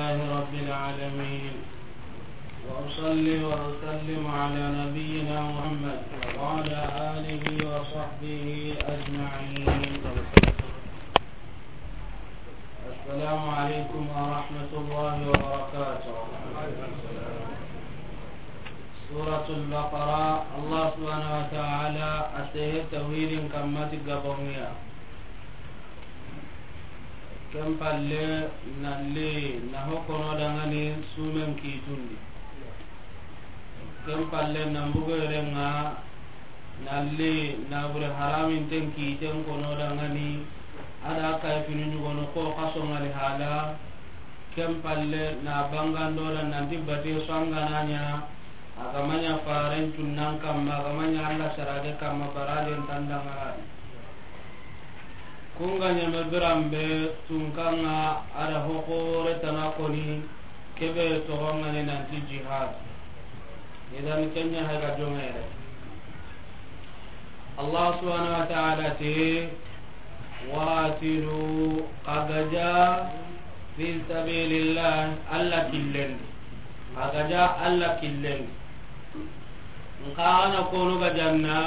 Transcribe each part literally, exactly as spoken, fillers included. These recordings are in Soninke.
لله رب العالمين، وأصلي وأسلم على نبينا محمد وعلى آله وصحبه أجمعين. السلام عليكم ورحمة الله وبركاته. سورة البقرة، الله سبحانه وتعالى أتيه توحيد كما تقبلني. Ken palle, na li na ho kono dangani sumen kitundi. Ken palle, na mbugo yerenga, na li na bure haraminten kiten kono dangani, a da kay fini ɲugono ko kaso ngali hala. Ken palle, na bangando da nanti bate so angana ɲa, a ga ma ɲa faren cunnan kamma, a ga ma ɲa Allah sarage kamma, barajen tandangarani. Kunga ɲame biranbe tunkanga a da hoxore tana koni, kebe toxongani nanti jihad. Idan kenya haga jongere. Allah subhanahu wa ta'ala ti, "Waqatilu", xa gaja, "fi sabilillah", Allah killen. Xa gaja Allah killen. Nxa ana konu gajanna,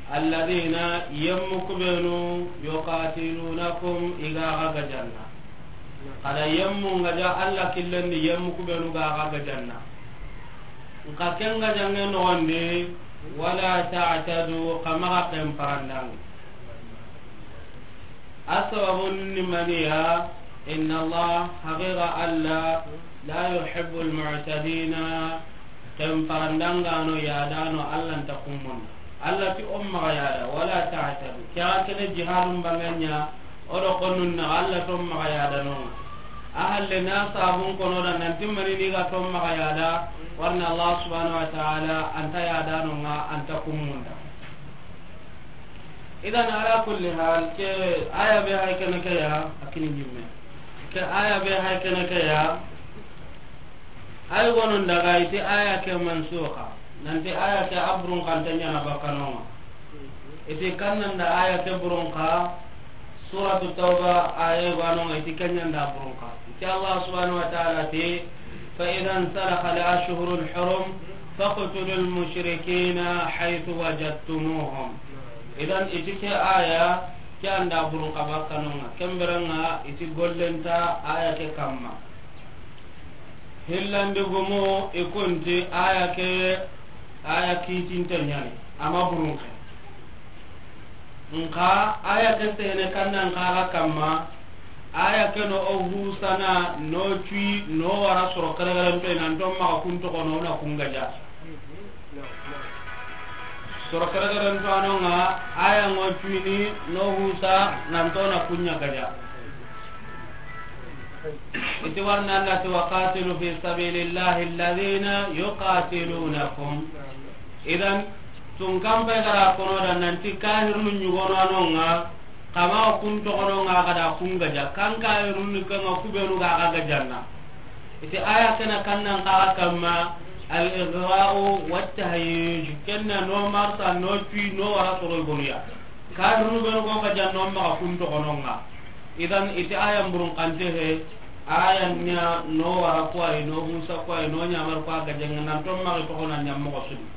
alladhina, yemmu kubenu, yuqatilunakum, iga xa gajanna. Xa da yemmu gaja Allah killen di, yemmu kubenu ga xa gajanna. Nxa ken gajange noxondi, wala ta'tadu, xa maxa ken parandangi. A sababun ni maniya, inna Allah, haqiqa Allah, la yuhibbul mu'tadina, ken parandangano yadano Allah nta kummon. Allah ti o maxa yada, wala ta'tadu. Kya kene jihadun banganya, o do konnun na Allah to maxa yada no. A halle na sabun kono da nanti mani ni ga to maxa yada, warna Allah subhanahu wa ta'ala anta yadano nga anta kummunda. Idan, ala kulli hal, ke aya be hay kene ke ya, a kini ɲimme. Ke aya be hay kene ke ya, ay gonon daga iti aya ke mansuxa. Nanti aya ke a burun xante ɲana bakkanonga. Iti kannan da aya ke burun xa, Suratu Tawba aya gwanonga iti kenyan da burun xa. Iti Allah subhanahu wa ta'ala ti, "Fa idha insalakha al-ashhurul hurum faqtulul mushrikina haythu wajadtumuhum." Idan iti ke aya, ke anda burun xa bakkanonga. Kemberenga iti gollenta aya ke kamma. Hillandi gumu i kunti aya ke, aya kitinte ɲani, ama burun xa. Nxa aya ke sehene kannan xa ga kamma, aya ke no o husana, no cui, no wara soro keregerento, i nan to maxa kun toxo no na kun gaja. Soro keregerento anonga, aya ngo cuini, no husa, nan to na kun ɲa gaja. Iti warna Allah ti, "Wa qatilu fi sabilillahi alladhina yuqatilunakum." Idan, tun kambe gara kono da nanti kahirnu ɲugono anonga, kama kun toxononga ga da kun gaja. Kan kahirnu ni kanga kubenu ga ga gajanna. Iti aya kena kannan xa ga kamma, al-ighra'u wat-tahyij. Kenna no marsa, no cui, no wara soro i bonuya. Kahirnu benu go gajanno maxa kun toxononga. Idan iti aya mburun xante he, aya nya no wara kuwai, no husa kuwai, no ɲamar kuwa gajenga nan to maxa toxona ɲammoxo sudi.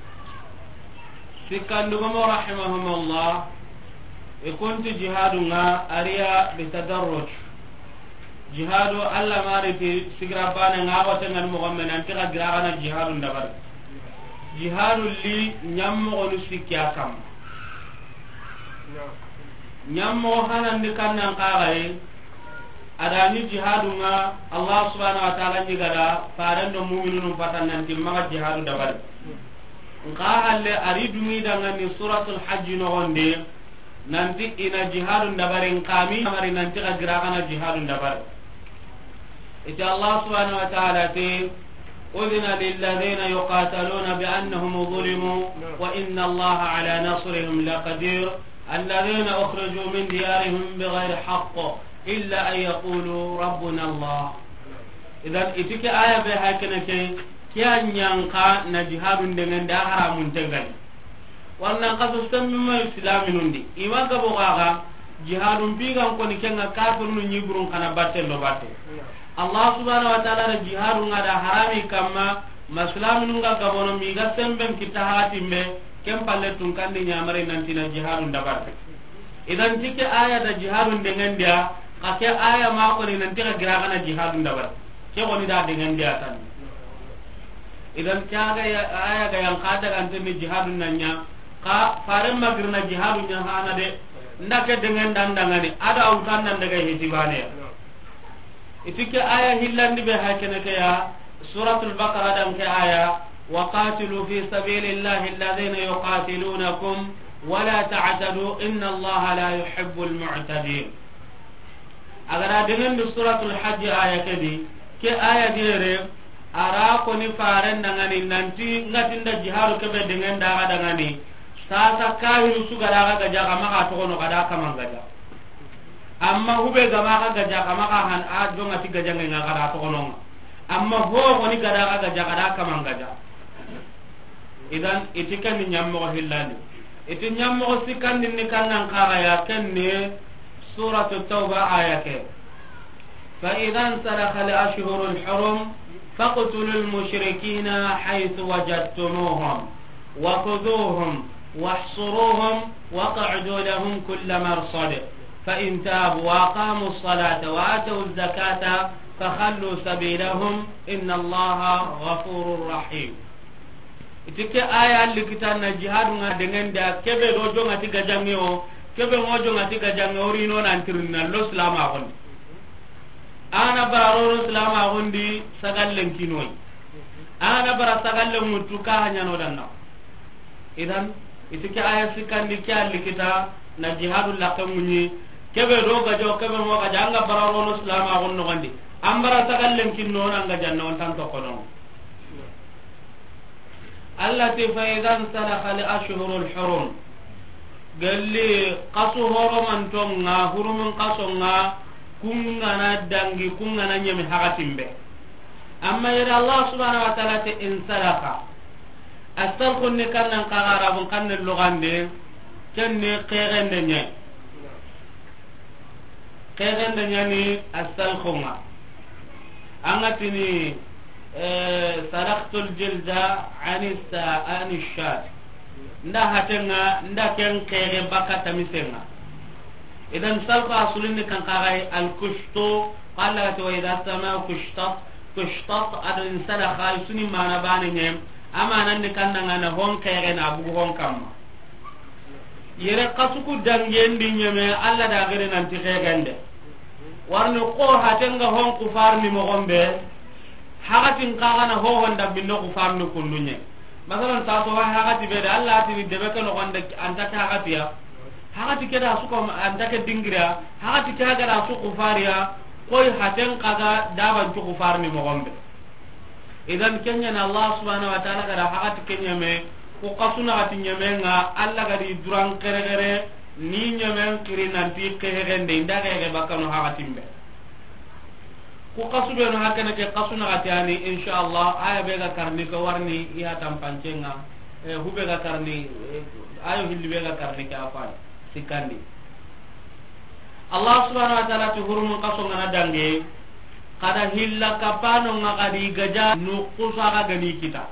Sikkandugomo rahimahumullah, i kunti jihadunga ariya bitadarruj. Jihadu Allah mari ti sigira bane nga ko tengan moxo men nanti xa gira gana jihadun dabari. Jihadu li ɲammoxonu sikki a kamma. Ɲammoxo hanandi kannan xaxaye, adani jihadunga Allah subhanahu wa ta'ala ɲigada faren do muminunu batan nanti maxa jihadu dabari. Nxa halle ari dungi dangani Suratul Hajji noxonde, nanti ina jihadun dabari, nkami amari nanti xa gira gana jihadun dabari. Iti Allah subhanahu wa ta'ala ti, "Udhina lilladhina yuqataluna bi annahum zulimu, wa inna Allaha ala nasrihim laqadir, alladhina ukhriju min diyarihim bighayri haqq, illa an yaqulu rabbuna Allah." Idan, iti ke aya be hakene ke, ke a ɲanka na jihadun dengende a haramun tengani. Warna kaso sembe ma islaminundi. Ima gabo gaga, jihadun bigan koni kenga kafirnu ɲiburun kana batte lo batte. Allah subhanahu wa ta'ala da jihadu ŋa da harami kamma, ma silaminu ŋa gabono mi ga semben kita hakatimbe, ken palle tun kandi ɲamari nanti na jihadu dabari. Idan ti ke aya da jihadu dengendiya, ka ke aya ma koni nanti ka gira kana jihadu dabari. Ke koni da dengendiya tan. Idan ke aga ya, aya ga yan ka daga antenni jihadu nanya, ka faren magirna jihadu nya hana de, nda ke dengan dan dangani, ada utan nan daga hiti bane ya. Iti ke aya hillandi be hakene ke ya, Suratul Baqara dan ke aya, وقاتلوا في سبيل الله الذين يقاتلونكم ولا تعتدوا إن الله لا يحب المعتدين. A ga da dengendi Suratul Hajj aya ke di, ke aya di yere, a ra koni faren dangani nanti ŋa ti nda jihadu kebe dengenda ga dangani, sasa kahiru su ga da ga gaja kama ka togono ga da kaman gaja. Amma hube gama ga gaja kama ka han a jonga ti gajange ŋa ga da togono ŋa. Amma ho koni ga da ga gaja ga da kaman gaja. Idan, iti ken ni ɲammoxo hillandi. Iti ɲammoxo sikkandin ni kannan kaxa ya, ken ni Suratu Tawba aya ke. فإذا انسلخ الأشهر الحرم فاقتلوا المشركين حيث وجدتموهم وخذوهم واحصروهم واقعدوا لهم كل مرصد فإن تابوا وأقاموا الصلاة وآتوا الزكاة فخلوا سبيلهم إن الله غفور رحيم. Iti ke aya alli kita na jihadu ŋa dengendi a kebe do jonga ti gajange o, kebe ŋo jonga ti gajange o rino nan tirina lo silama gondi. Ana bara roro silama gondi sagallen kinoy. Ana bara sagallen mutu ka hanyano danna. Idan, iti ke aya sikkandi ke alli kita na jihadu lakke ŋuɲi, kebe do gajo, kebe ŋo gaja, anga bara rono silama gondi nogondi. An bara sagallen kinno nan gajanna on tan tokono. Allah ti, فإذا انسلخ الأشهر الحرم. Gelli kasu horomantonga, hurumun kasonga, kungana dangi, kungana ɲemi hakatimbe. Amma yere Allah subhanahu wa ta'ala ti انسلخ. Asalkhun ni kannan kaga Arabun kanne lugande, ken ni kegende ɲe. Kegende ɲani asalkhunga. Anga tini, eh, سلخت الجلد عن الس-، عن الشاة. Nda hatenga, nda ken kege baka tamisenga. Idan salkhu asulin ni kan kagai alkushtu, qala to idha sama kushtat, kushtat ado انسلخ, isuni mana bane ɲe, amanan ni kannanga na hon kege na bugu hon kamma. Yere kasuku dangendi ɲeme, Allah da gere nanti kegende. Warni ko hatenga hon kufarni mogombe, hakatin kagana hohon da binno kufarni kundunye. Masalan, ta so wa hakati be da Allah tini debe ke nogonde anta ke hakatiya. Hakati ke da su ko anta ke dingira, hakati ke ga da su kufariya, koy haten kaga daban cu kufarni mogombe. Idan kenya na Allah subhanahu wa ta'ala ga da hakati kenya me, ko kasuna hati ɲeme nga Allah ga di duran kere kere, ni ɲemen kiri nanti kehegende, inda kehege bakkano hakatimbe. Ku kasu benu hakene ke kasu na hati ani, insha Allah, aya be ga karni ko warni iya tampancenga, eh, hube ga karni, eh, ayo hilli be ga karni ke afan, sikandi. Allah subhanahu wa ta'ala ti hurumun kaso ngana dange, kada hilla kapano nga kadi gaja nukusa ga gani kita.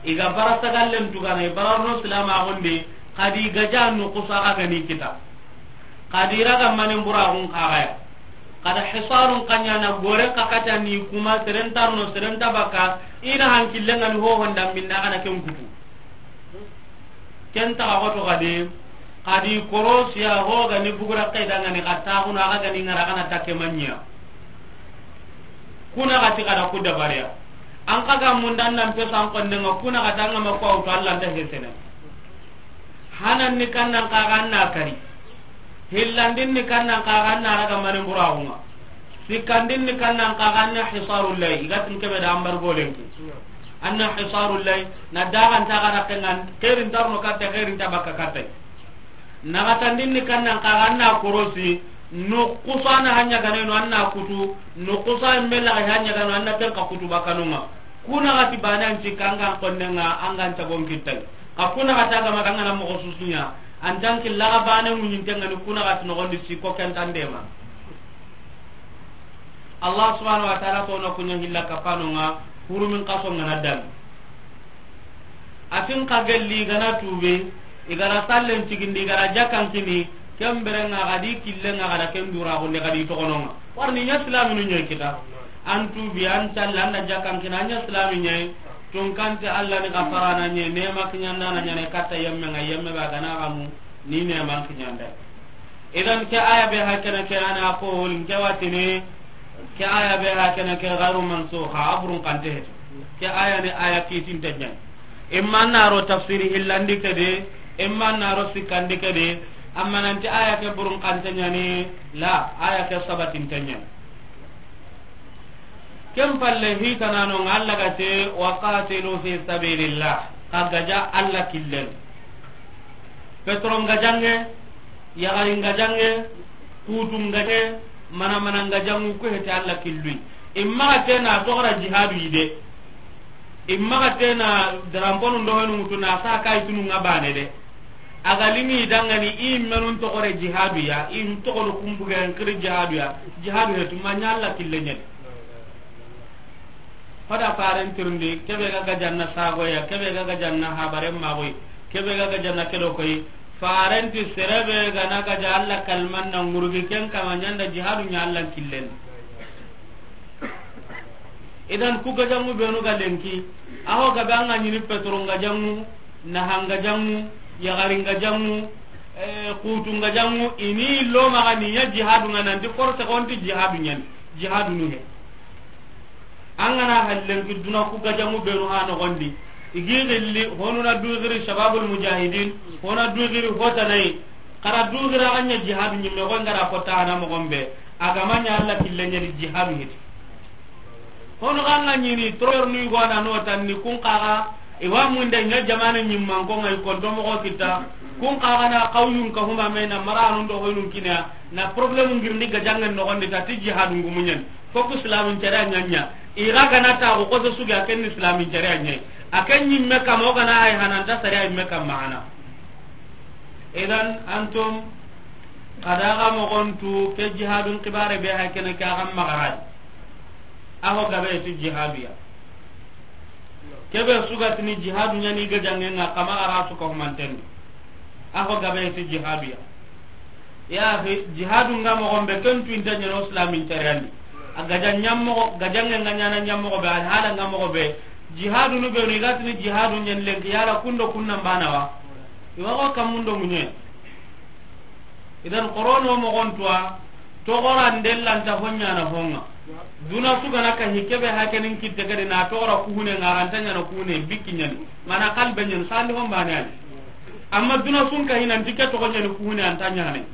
Iga bara sagallen tugana, ibara no silama gonde, kadi gaja nukusa ga gani kita. Kadi raga manen buragun kagaya. Kada hisarun kanyana gore kakata ni kuma serentarno serenta baka, ina hankillenga ni ho honda minna kana ken kutu. Ken taxa xoto xadi, xadi korosiya, ho gani bugura xay dangani, xa taxunu, axa gani ngara, xana takke manɲiya. Kuna xati xada ku dabariya. An xa ga mundan nan peso an kondenga, kuna xati an ga ma ko awto, Allah nta hesene. Hanan ni kannan xaxa an na kari. Hillandin ni kannan xaxa an na raga mani buraxunga. Sikkandin ni kannan xaxa an na hisarul lay, igatin kebe da ambar golenki. An na hisarul lay, na daxanta xara kengan, xerin tarno katte, xerin ta bakka katte. Naxatandin ni kannan xaxa an na korosi, nukusa na hanya ganeno an na kutu, nukusa mbela hanya gano an na tenka kutu bakanunga. Kuna xati bane an ci kangan konnenga, angan tagon kittay. Ka kuna xata gama kangana moxo susunya, an tanki laga bane munyintengani kuna xati noxondi siko kentandema. Allah subhanahu wa ta'ala to na kunya hilla kapano nga, hurumin kaso nga na dan. Atin ka gelli gana tube, igara sallen tigindi, igara jakkan kini, kembere nga gadi kille nga gada ken dura gonde gadi tokono nga. Warni nya islaminu nya kita. An tubi, an talla, an da jakkan kini, an nya islami nya. Tun kante Allah ni gafarana nya, ne makinyanda na nya ne katta yemme nga, yemme ba gana gamu, ni ne makinyanda. Idan ke aya be hakana ke ana ko hol nke watini, ke aya be hakana ke gairu mansukha, abrun kante heti. Ke aya ni aya kitin tanyan. Imma naro tafsiri hillandi kede, imma naro sikandi kede, amma nanti aya ke burun kante nyani, la, aya ke sabatin tanyan. Ken palle hitanano nga Allah ga te, "Wa qatilu fi sabilillah." Ka gaja Allah killen. Petron gajange, yagarin gajange, kutun gajange, mana mana gajangu ku hete Allah killui. Imma tena toxora jihadu ide. Imma tena dramponu ndohenu mutuna sa kai tunu nga bane de. A ga limi dangani i menun toxore jihadu ya, i toxono kumbuge en kiri jihadu ya, jihadu he tuma nya Allah kille nyani. Hoda faren tirndi, kebe ga gajanna sago ya, kebe ga gajanna habaren magoy, kebe ga gajanna kedo koy, faren ti serebe ga na gaja Allah kalman na ngurgi ken kama nyanda jihadu nya Allah killen. Idan ku gajangu benu ga lenki, aho gabe anga nyini petron gajangu, nahan gajangu, yagarin gajangu, eh, kutun gajangu, ini lo maga ni ya jihadu nga nanti force konti jihadu nyen, jihadu nu he. Angana hallen ki duna ku gajangu benu ha no gondi. Igi gilli, honu na dugiri shababul mujahidin, hona dugiri hotanai, kara dugira anya jihadu nyimme ko ngara kota ana mo gombe. Agamanya Allah killen nyadi jihadu hiti. Hono ganga nyini troyer nui gwana no tanni kun kaga, iwa munde nya jamane nyimman ko ngai konto mo ko kita, kun kaga na kawyun ka huma mena maranu ndo hoynun kinya, na problème ngirndi gajangen no gondi tati jihadu ngumunyen. Foku islamin cere nyanya. Ira gana ta ko ko suga ken islamin cere nyai. Aken nyimme kamo gana ay hananta sare ay me kam mahana. Idan antum, kada ga mogontu ke jihadun kibare be hay kene ka gam magaraj. Aho gabe ti jihaduya. Kebe sugatini jihadu nyani gajange nga kama ara su ko manten. Aho gabe ti jihaduya. Ya akhi, jihadu nga mogon be ken tu inta nyano islamin cariyandi. A gaja nyammo, gajange nga nyana nyammo be, al hala nga mogo be. Jihadu nu be ni gatini jihadu nyen lenki yala kundo kunna bana wa. Iwa ko kamundo munye. Idan korono mogon tuwa, togora ndellanta honya na honga. Duna sugana ka hikebe hakenin kitte gade na togora kuhune ngaranta nyana kuhune bikki nyani. Mana kalbe nyen sandi hon bane ani. Amma duna sun ka hinan tike togo nyani kuhune anta nyane.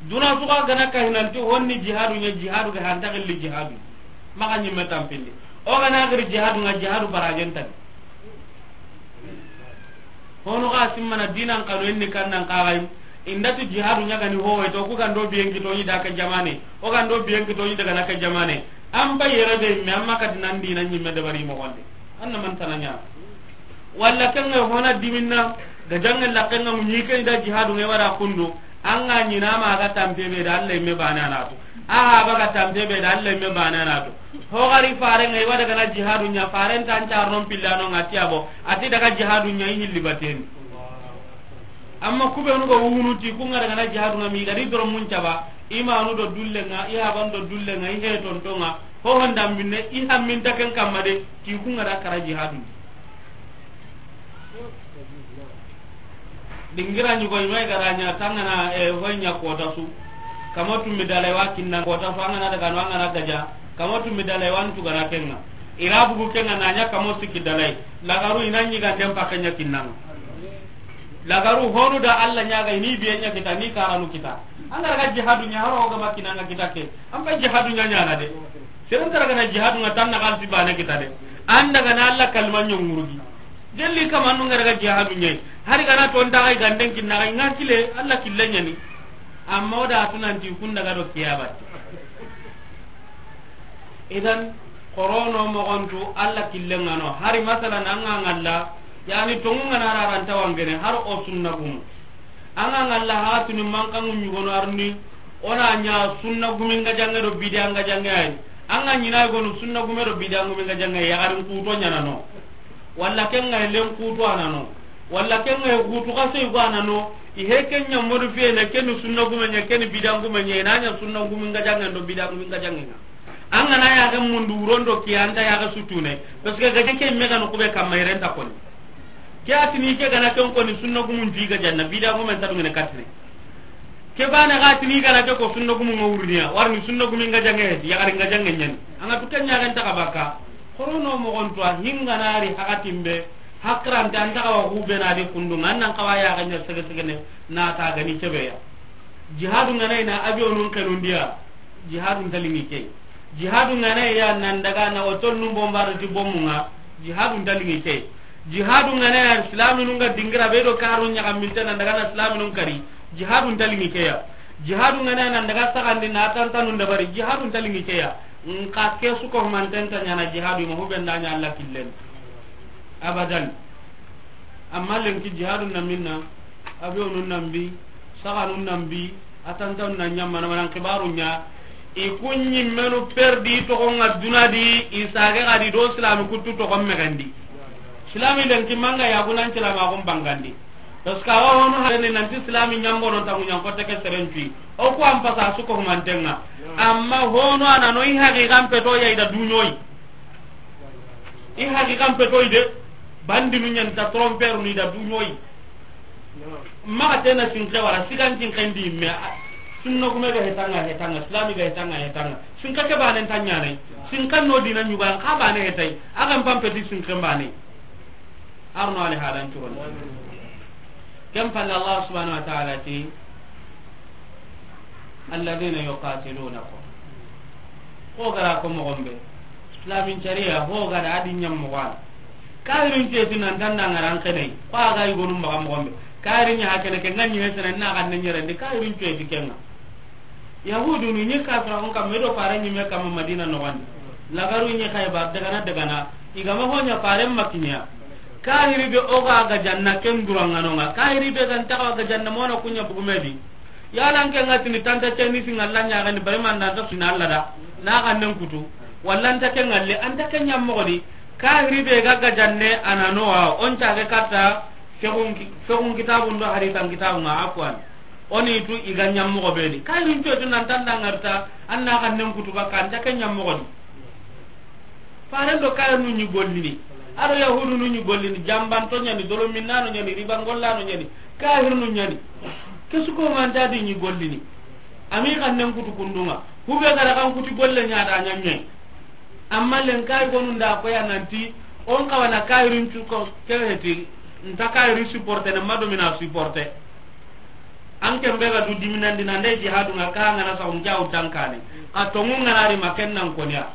Duna suga gana ka hinan ti honni jihadu nya jihadu ga hanta gilli jihadu. Maka nyimme tampindi. O gana giri jihadu nga jihadu barajen tani. Hono ga simmana dinan kanu enni kannan kagai. Indati jihadu nyagani howe to ku gando biyen kitoni da ka jamane. O gando biyen kitoni daga na ka jamane. An ba yere be me amma ka dinan dinan nyimme dabari mo gonde. Anna man tananya. Walla kanga hona diminna, gajange lakenga munyi ke da jihadu nge wara kundu. Anga nyina ma ga tampe be da Allah me bana na to. Aha ba ga tampe be da Allah me bana na to. Ho gari fare ngai wada gana jihadu nya faren tan carnon pillano ngati abo. Ati daga jihadu nya hilli baten. Amma kube nu go wunu ti ku ngara gana jihadu ngami gari doro mun caba. Imanu do dulle nga, ihaban do dulle nga, ihe tontonga. Ho honda minne, iha min taken kamma de, ti ku ngara kara jihadu. Dingira ñugo i may gara ña tangana, e, hoy ña kota su. Kamo tummi dalay wa kinna kota su, angana daga no angana gaja. Kamo tummi dalay wa ntu gana kenga. Ira bugu kenga na ña kamo sikki dalay. Lagaru ina ñi ganden pakke ña kinnanga. Lagaru honu da Allah ñaga ini biye ña kita ni karanu kita. Angara ga jihadu ña haro ga makinanga kita ke. Amba jihadu ña ñana de. Seren tara gana jihadu nga tanna kalsi bane kita de. Anda gana Allah kalma ñongurugi. Jelli kamanu ngara ga jihadu ñe. Hari gana to nda ay ganden kinna ay nga kile Allah kille ñani. Amma o da tunanti kunda ga do kiyabat. Idan korono mogontu Allah kille ngano. Hari masalan anga ngalla yani tongu ngana raranta wangene har o sunna gumu. Anga ngalla hatuni mankangu ñugono arni. Ona ña sunna guminga jange do bidianga jange ay. An ga ɲi na i gonu sunna gume do bidiya gume ga jaŋe, yaxarin kuto ɲaana no, walla ken ga len kuto a na no, walla ken ga kutu xa sey go a na no. I he ken ɲa modu fiye ne, ken sunna gume ɲa, ken bidiya gume ɲa, i na ɲa sunna gume ga jaŋe do bidiya gume ga jaŋe ŋa. An ga na yaxe mundu wuron do ki, an nta yaxe sutune, parce que ga ke me ga no kube kamma, i ren nta koni. Ke a tini ke ga na ken koni, sunna gumun ti ga janna, bidiya gumen ta dungene katine. Ke bane ga tini ga na ke ko, sunna gumun ŋa wurniya, warni sunna gumin ga jaŋe heti, yaxarin ga jaŋe ɲani. An ga tu ken ɲaxen ta xa baka. Xorono moxon to a hinga na ri hakatin be, hakrante an ta xa wa hube na di kundu ŋa, an nan xa wa yaxe ɲa sege sege ne, na ta gani kebe ya. Jihadu ŋa na i na avion nun xenundiya, jihadu nta liŋi ke. Jihadu ŋa na i ya nan daga na otol nun bombarde ti bomu ŋa, jihadu nta liŋi ke. Jihadu ŋa na i ya silaminun ga dingira be do karu ɲaxaminte nan daga na silaminun kari, jihadu nta liŋi ke ya. Jihadu ŋa na i ya nan daga saxandi na tantanun dabari, jihadu nta liŋi ke ya. Nxa ke su ko manten ta ɲaana jihadu ma hube nda ɲa Alla killen. Abadan. Amma lenki jihadu na minna, avion nun nan bi, saxanun nan bi, a tantanun nan ɲa mana mana xibaru ɲa. I kun ɲimmenu perdi toxon ŋa duna di, i sage ga di do silami kuttu toxon mexendi. Silami lenki manga ya gunan silama gon bangandi. Parce que awa hono harani nanti silami ɲambono tangu ɲankote ke serencu. O ku an pasa su ko humanten ŋa. Amma hono a na no i haqiqan peto ya i da duɲoyi. I haqiqan petoy de, bandinu ɲani ta tromper ni da duɲoyi. Maxa tena sinke wara sigan sinke ndi me, a, sunna gume ga hetanga hetanga, silami ga hetanga hetanga. Sinke ke bane nta ɲaana. Sinke no dina ɲuga xa bane hetay. A ga n pampeti sinke bane. Arno ale halan curon. Ken palle Allah subhanahu wa ta'ala ti, "Alladhina yuqatilunakum." Ko gara ko moxon be, islamin sharia ho gara adi ɲam moxon. Kahirin teti nan tanda ngaran kene. Ko aga i gonu maxa moxon be. Kahirin ɲa hakene ke ŋa ɲi hesene na kan ne ɲerendi, kahirin teti kenga. Yahudunu ɲi kafira on kam, me do fare ɲi me kam Madina noxondi. Lagaru ɲi Xaybar, dagana, dagana. I ga ma ho ɲa fare ma kiɲa. Kahiri be o ga ga janna ken duranŋa no ŋa. Kahiri be ga nta ga janna mono kuɲa bugumedi. Yalan ke ŋa tini tanta ceni singa lanya ga ni bari man da ta sina Allah da. Na ga nen kutu. Walla nta ke ŋalle, anta ke ɲam moxodi. Kahiri be ga ga janne a na no wa. On ta ga katta fegun ki-, fegun kitabun do hadisan kitabun ŋa, afwan. Oni tu i ga ɲam moxo be di. Kahirin to tu nan tanda ngarta, an na ga nen kutu baka, anta ke ɲam moxodi. Faren do kahirinu ɲi gollini. Ado yahudunu ɲi gollini. Jambanto ɲani, dolo minnano ɲani, riba ngollano ɲani. Kahirinu ɲani. Ke su ko manta di ɲi gollini. Ami ga nen kutu kundunŋa. Hube gara kan kuti golle ɲa da ɲa ɲe. Amma len kay gonu nda ko ya nanti, on kawana kahirin tu ko ke heti, nta kahiri supporter ne ma do mina supporter. An ken be ga du diminandi nan de jihadu ŋa ka ŋa na sa on jaw tankane. Ka tongu ŋa na ri ma ken nan koniya.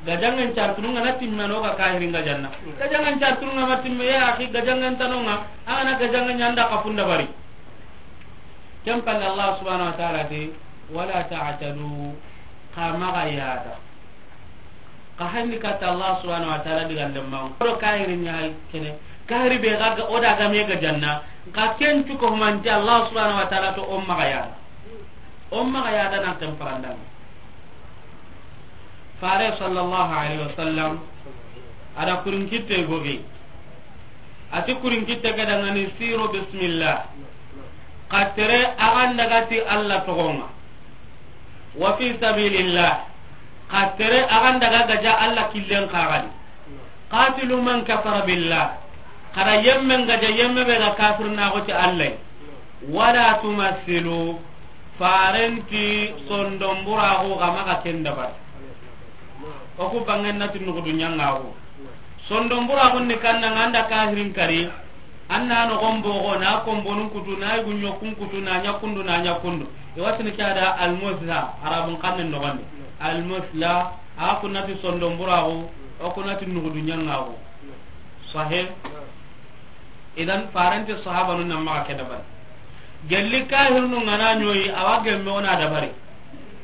Gajangan chartunu ŋa na timme no ga kahirin ga janna. Gajangan chartunu ŋa ma timme ya akhi, gajangan tanonga. An ga na gajangan ɲanda ka funda bari. Ken palle Allah subhanahu wa ta'ala ti, "Wala ta'tadu." Xa maxa yada. Xa hanni katta Allah subhanahu wa ta'ala diga lemma. Ko kahiri ɲa hay kene. Kahiri be ga, ga, o da ga me ga janna. Xa ken tu ko manti Allah subhanahu wa ta'ala to o maxa yada. O maxa yada nan tem parandan. Fare sallallahu alaihi wasallam, ada kurin kitte gogi. Ati kurin kitte ga dangani siru bismillah. Xa tere a ga nda ga ti Allah toxon ŋa. Wa fi sabilillah. Xa tere a ga nda ga gaja Allah killen xa ga di. Qatilu man kafara billah. Xa da yemmen gaja yemme be ga kafirnaxu ti Allah. Wala tumassilu. Farenti sondonburaxu xa maxa ken dabari. O ku bangen na ti nuxudu ɲangaxu. Sondonburaxun ni kanna ŋa an da kahirin kari. An na noxon boxo, na konbonun kutu, na yugu ɲokkun kutu, na ɲa kundu, na ɲa kundu. I wa tini ke ya da almusla, Arabun xannen noxondi. Almusla, a ku na ti sondonburaxu, o ku na ti nuxudu ɲangaxu. Sahih. Idan, farenti sahabanun nan maxa ke dabari. Gelli kahirinu ŋa na ɲoyi, a wa gemme o na dabari.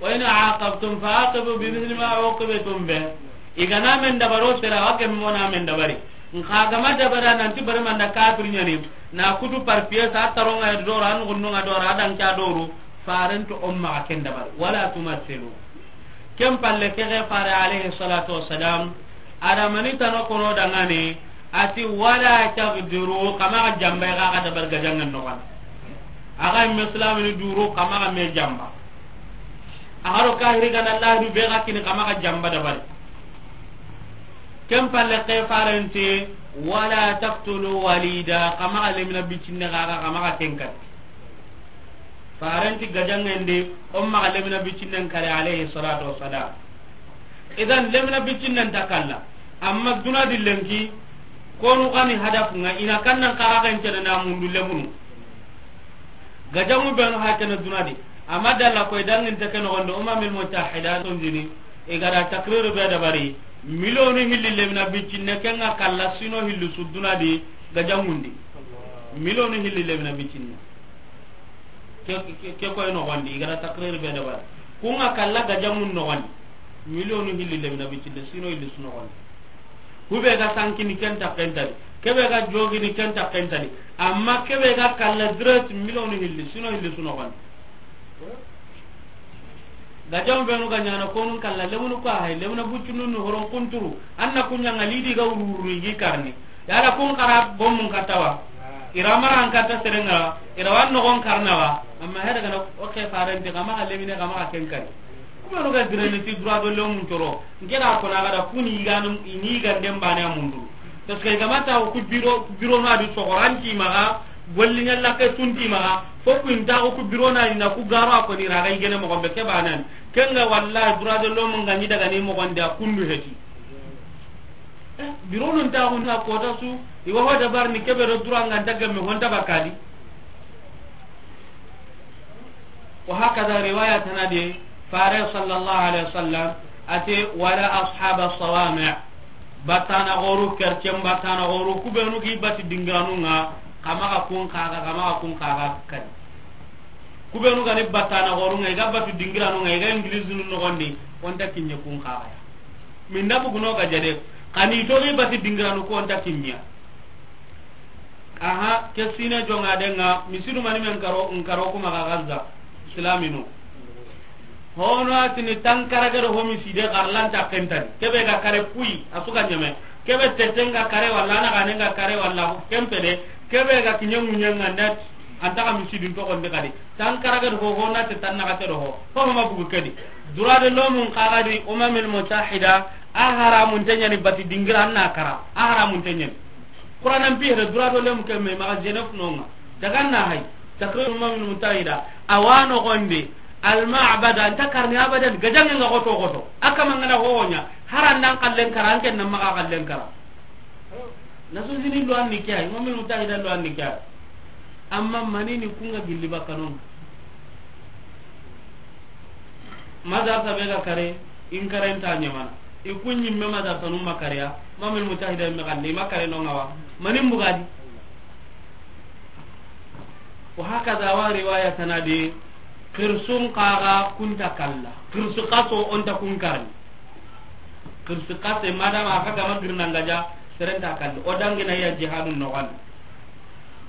Wa in aqabtum fa aqibu bi mithli ma uqibtum bih. I ga na men dabari o sera, a wa gemme o na men dabari. Nxa ga ma dabari nanti bari manda kafir ɲani. Na kutu par pièce, a taronga doro, a nuxununga doro, a danka doro. Farenti o maxa ken dabari. Wala tumassilu. Ken palle ke xe fare alayhi salatu wassalam, a da mani tano kono dangane, a ti, "Wala tagdiru, xa maxa jamba, xa ga dabari gajanŋen noxon di." A ga me silamini duru, xa maxa me jamba. A ga ro kahiri ga na lahidu be ga kini, xa maxa jamba dabari. Ken palle ke faren ti, "Wala taqtulu walida, xa maxa lemina bicinne xa, xa maxa ken kari." Faren ti gajanŋen di, o maxa lemina bicinnen kari, alayhi salatu wassalam. Idan, lemina bicinnen ta kalla. Amma duna di lenki, konu xa ni hadafu ŋa, i na kannan xaraxen cene na mundu lemunu. Gajanŋu benu ha kene duna di. Amma dalla koy danginte ke noxon di, Umamil Mutahida sonjini, i ga da takrir be dabari, miliyonu hilli lemina bicinne, ken ŋa kalla sino hilli su duna di gajanŋun di. Miliyonu hilli lemina bicinne. Ke, ke, ke koy noxon di, i ga da takrir be dabari. Ku ŋa kalla gajanŋun noxon di. Miliyonu hilli lemina bicinne, sino hilli su noxon di. Ku be ga sankini ken ta ken ta di. Ke be ga jogini ken ta ken ta di. Amma ke be ga kalla direct miliyonu hilli, sino hilli su noxon di. Gajanŋu benu ga ɲaana konun kalla, lemunu ko hay, lemuna bucunun ni horon kunturu. An na ku ɲaŋa lidi ga wururu i gi karni. Yala kun xara gomun katta wa? I ra mara an katta seren ŋa, i ra wan noxon karna wa? Amma hede ga na o ke faren ti, xa maxa lemine, xa maxa ken kari. Ku benu ga direne ti droit de l'homme ncoro. Nke da ko na ga da kuni yiganu, i ni yiganden bane a mundu. Parce que i ga ma ta ku biro, ku biro na di soxoranti maxa, golli ɲalla ke tunti maxa, fo ku inta ku biro na ni na ku garo a ko ni ra ga yigene moxon be ke banan. Ken ŋa wallahi droit de l'homme ŋa ni daga ni moxon di a kundu heti. Eh, biro nun ta gun ta kota su, i wa ho dabar ni ke be do droit ŋa nta gamme honta bakadi. Wa hakaza riwaya tana di, fare sallallahu alaihi wasallam, a ti, "Wala ashaba sawami'." Batana xoru, kercen batana xoru, ku benu gi bati dingiranu ŋa, xa maxa kun xaxa, xa maxa kun xaxa kari. Ku benu ga ni batana xoru ŋa, i ga bati dingiranu ŋa, i ga English nu noxon di, o nta kiɲe kun xaxa ya. Min da buguno ga jade, xa ni to gi bati dingiranu ko o nta kiɲe ya. Aha, ke sine jonga denga, misidu mani men karo, n karo kuma ga Gaza, silaminu. Hono a tini tankarage do ho miside xarlanta kentani. Ke be ga kare pui, a su ga ɲeme. Ke be tetenga kare walla, na gane nga kare walla, kempede. Ke be ga kiɲe ŋuɲe nga ndat, anta ga misidin toxon di kadi. Tankarage do ho, ho na te tan na ga te do ho. Ho ma bugu kedi. Droit de l'homme n xaga di Umamil Mutahida, a haramun te ɲani bati dingira na kara. A haramun te ɲani. Qur'an an bihere droit de l'homme ke me maxa Genève nonga. Daga na hay. Takrir Umamil Mutahida. Awano gonde. Al ma'bada nta karni abadan. Gajange nga goto goto. Aka mangana ho ɲa. Harandan kallen kara, anken na maxa kallen kara. Nations Unies lo anni kya. Umamil Mutahida lo anni kya. Amma manini kunga gilli bakkanonga. Madarsa be ga kare, in karen ta ɲamana. I kun ɲimme madarsa num ma kare ya, Umamil Mutahida me gande, i ma kare no nga wa. Manin bugadi. Wa hakaza wa riwaya tana di, xirsun xaga kunta kalla. Xirsu xaso o nta kun karni. Xirsu xase madama a xa ga ma girna nga ja, seren ta kalli. O dangina ya jihadun noxon di.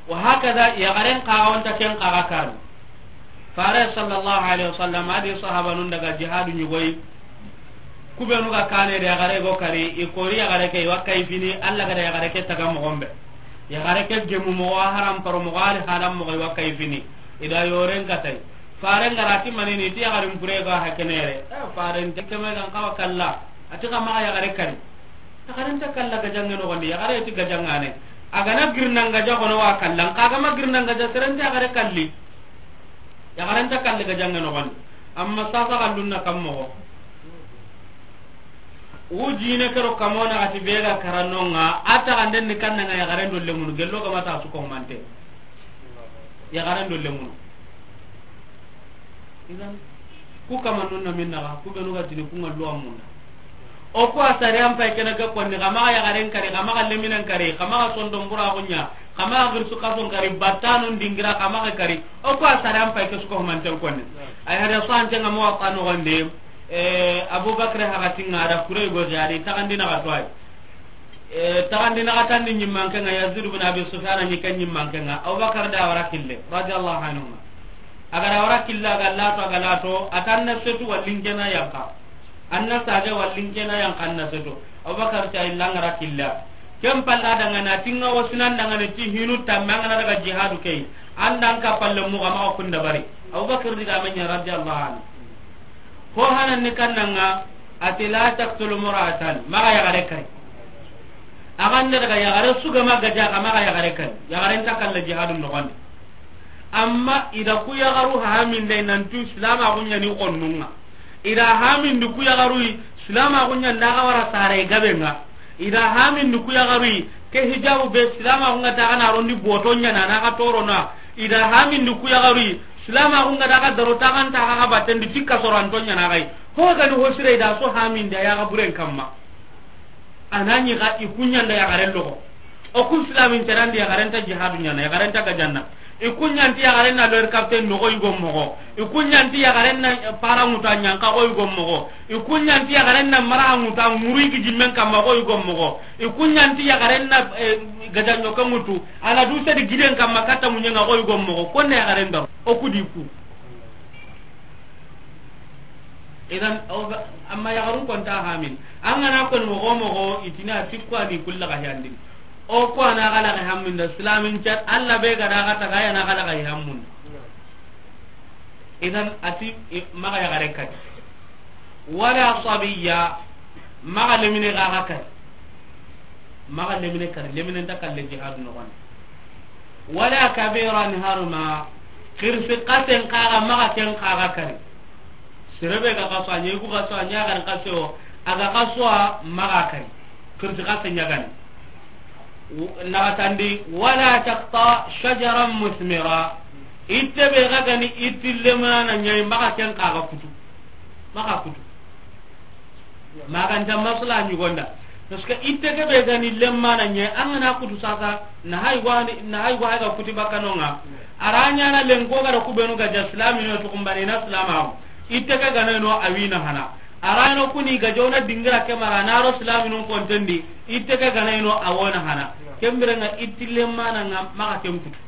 Wa hakaza, yaxaren xaga o nta ken xaga karni. Fare sallallahu alaihi wasallam a di sahabanun daga jihadu ɲugoyi. Ku benu ga kane de yaxare go kari, i kori yaxare ke, i wa kayfini, Allah ga da yaxare ke taga moxon be. Yaxare ke gemu moxo, a haram paro moxo, ali haram moxo, i wa kayfini. I da yoren katay. Faren ga ra ti manini, ti yaxarin pure ga hakenere. Eh, faren ti keme gan kawa kalla. A ti xa maxa yaxare kari. Yaxaren ta kalla gajange noxon di, yaxare ti gajangane. A ga na girna nga ja xono wa kalla, nxa a ga ma girna nga ja, seren ta yaxare kalli. Yaxaren ta kalli gajange noxon di. Amma sasa xallun na kam moxo. Wu jine kero kamona ati be ga karanonga, a taxanden ni kannanga yaxaren do lemunu, gello ga ma ta su ko mante. Yaxaren do lemunu. Idan, ku kamannun na min naxa, ku benu ga tini ku nga luwa munda. O ku a sariyan pay kene ke konni, xa maxa yaxaren kari, xa maxa leminen kari, xa maxa sondon buraxu ɲa, xa maxa xirsu xason kari, battanun dingira, xa maxa kari. O ku a sariyan pay ke su ko manten konni. Ay hada so antenga mo wa kanu gonde, eh, Abubakar haxatinga da kure go jadi, taxandi naxa to ay. Eh, taxandi naxatandi ɲimmanke nga Yazid ibn Abi Sufyan ni ken ɲimmanke nga. Abubakar da wara kille, radiyallahu anhu. A ga da wara kille, a ga lato, a ga lato, a tanna setu wallin kena yanka. An na sage wallin kena yan kan na seto. Abubakar ta illa ngara killa. Ken palla daga na tinga wasinan daga ne ti hinu tamma ngana daga jihadu kei. Andan ka palle mu ga ma kunda bari. Abubakar diga manya radiyallahu anhu. Ho hanan ni kannanga, ati la taqtulu mura'atan, maga yagare kari. Aganda daga yagare suga ma gaja ga maga yagare kari. Yagare nta kalla jihadu nogondi. Amma ida ku yagaru haminde nantu silama gunya ni konnunga. Ida hamindi ku yagaru yi, silama gunya ndaga wara sare gabenga. Ida hamindi ku yagaru yi, ke hijabu be silama gunga ta kana rondi boto nya na na ka toro na. Ida hamindi ku yagaru yi, silama gunga daga daro ta kan ta ga batendi tikka soranto nya na gai. Ho gani ho sire ida so hamindi ya ga buren kamma. Anani ga ikunya nda yagare logo. O ku islamin terandi yagaren ta jihadu ɲana, yagaren ta gajanna. I ku ɲanti yagaren na lori kapten nogo i go mogo. I ku ɲanti yagaren na, eh, para ŋuta ɲanka go i go mogo. I ku ɲanti yagaren na mara ŋuta ŋuru i gi jimmen kamma go i go mogo. I ku ɲanti yagaren na, eh, gajanɲo ke ŋutu. Ana du sedi giden kamma katta muɲenga go i go mogo. Konne yagaren daro. O ku di ku. Idan, aw ga, amma yaxarun konta hamin. An gana kon mogo mogo, itina tikko ani kulla ga yandin. O ko ana gala ga hammin da, islamin cat, Allah be ga da ga taga yana gala ga hammun. Idan, ati, i, maga yaxare kadi. Wala sabiya, maga lemine ga ga kadi. Maga lemine kari, lemine nta kalle jihadu noxon. Wala kabiran harma, xirsi xasen kaga maga ken kaga kari. Serebe ga xaso, a ɲegu xaso, a ɲagan xaso, a ga xaso a maga kari. Xirsi xasen ɲagani. W-, naxatandi, wala taqta shajaran musmira. Itte be ga gani, itti lemana ɲayi maga ken kaga kutu. Maga kutu. Maganta masala ɲugonda. Parce que itte ke be gani lemmana ɲe, an gana kutu sasa, na hay go hani, na hay go hay ga kuti bakanonga. Aranya na lenko ga da kubenu ga ja islami no to kumbani na islama. Itte ke gana no awina hana. Arano kuni ga jona dingira ke mara na ro islami no kontendi. Itte ke gana no awona hana. Kembirenga itti lemmana nga maga ken kutu.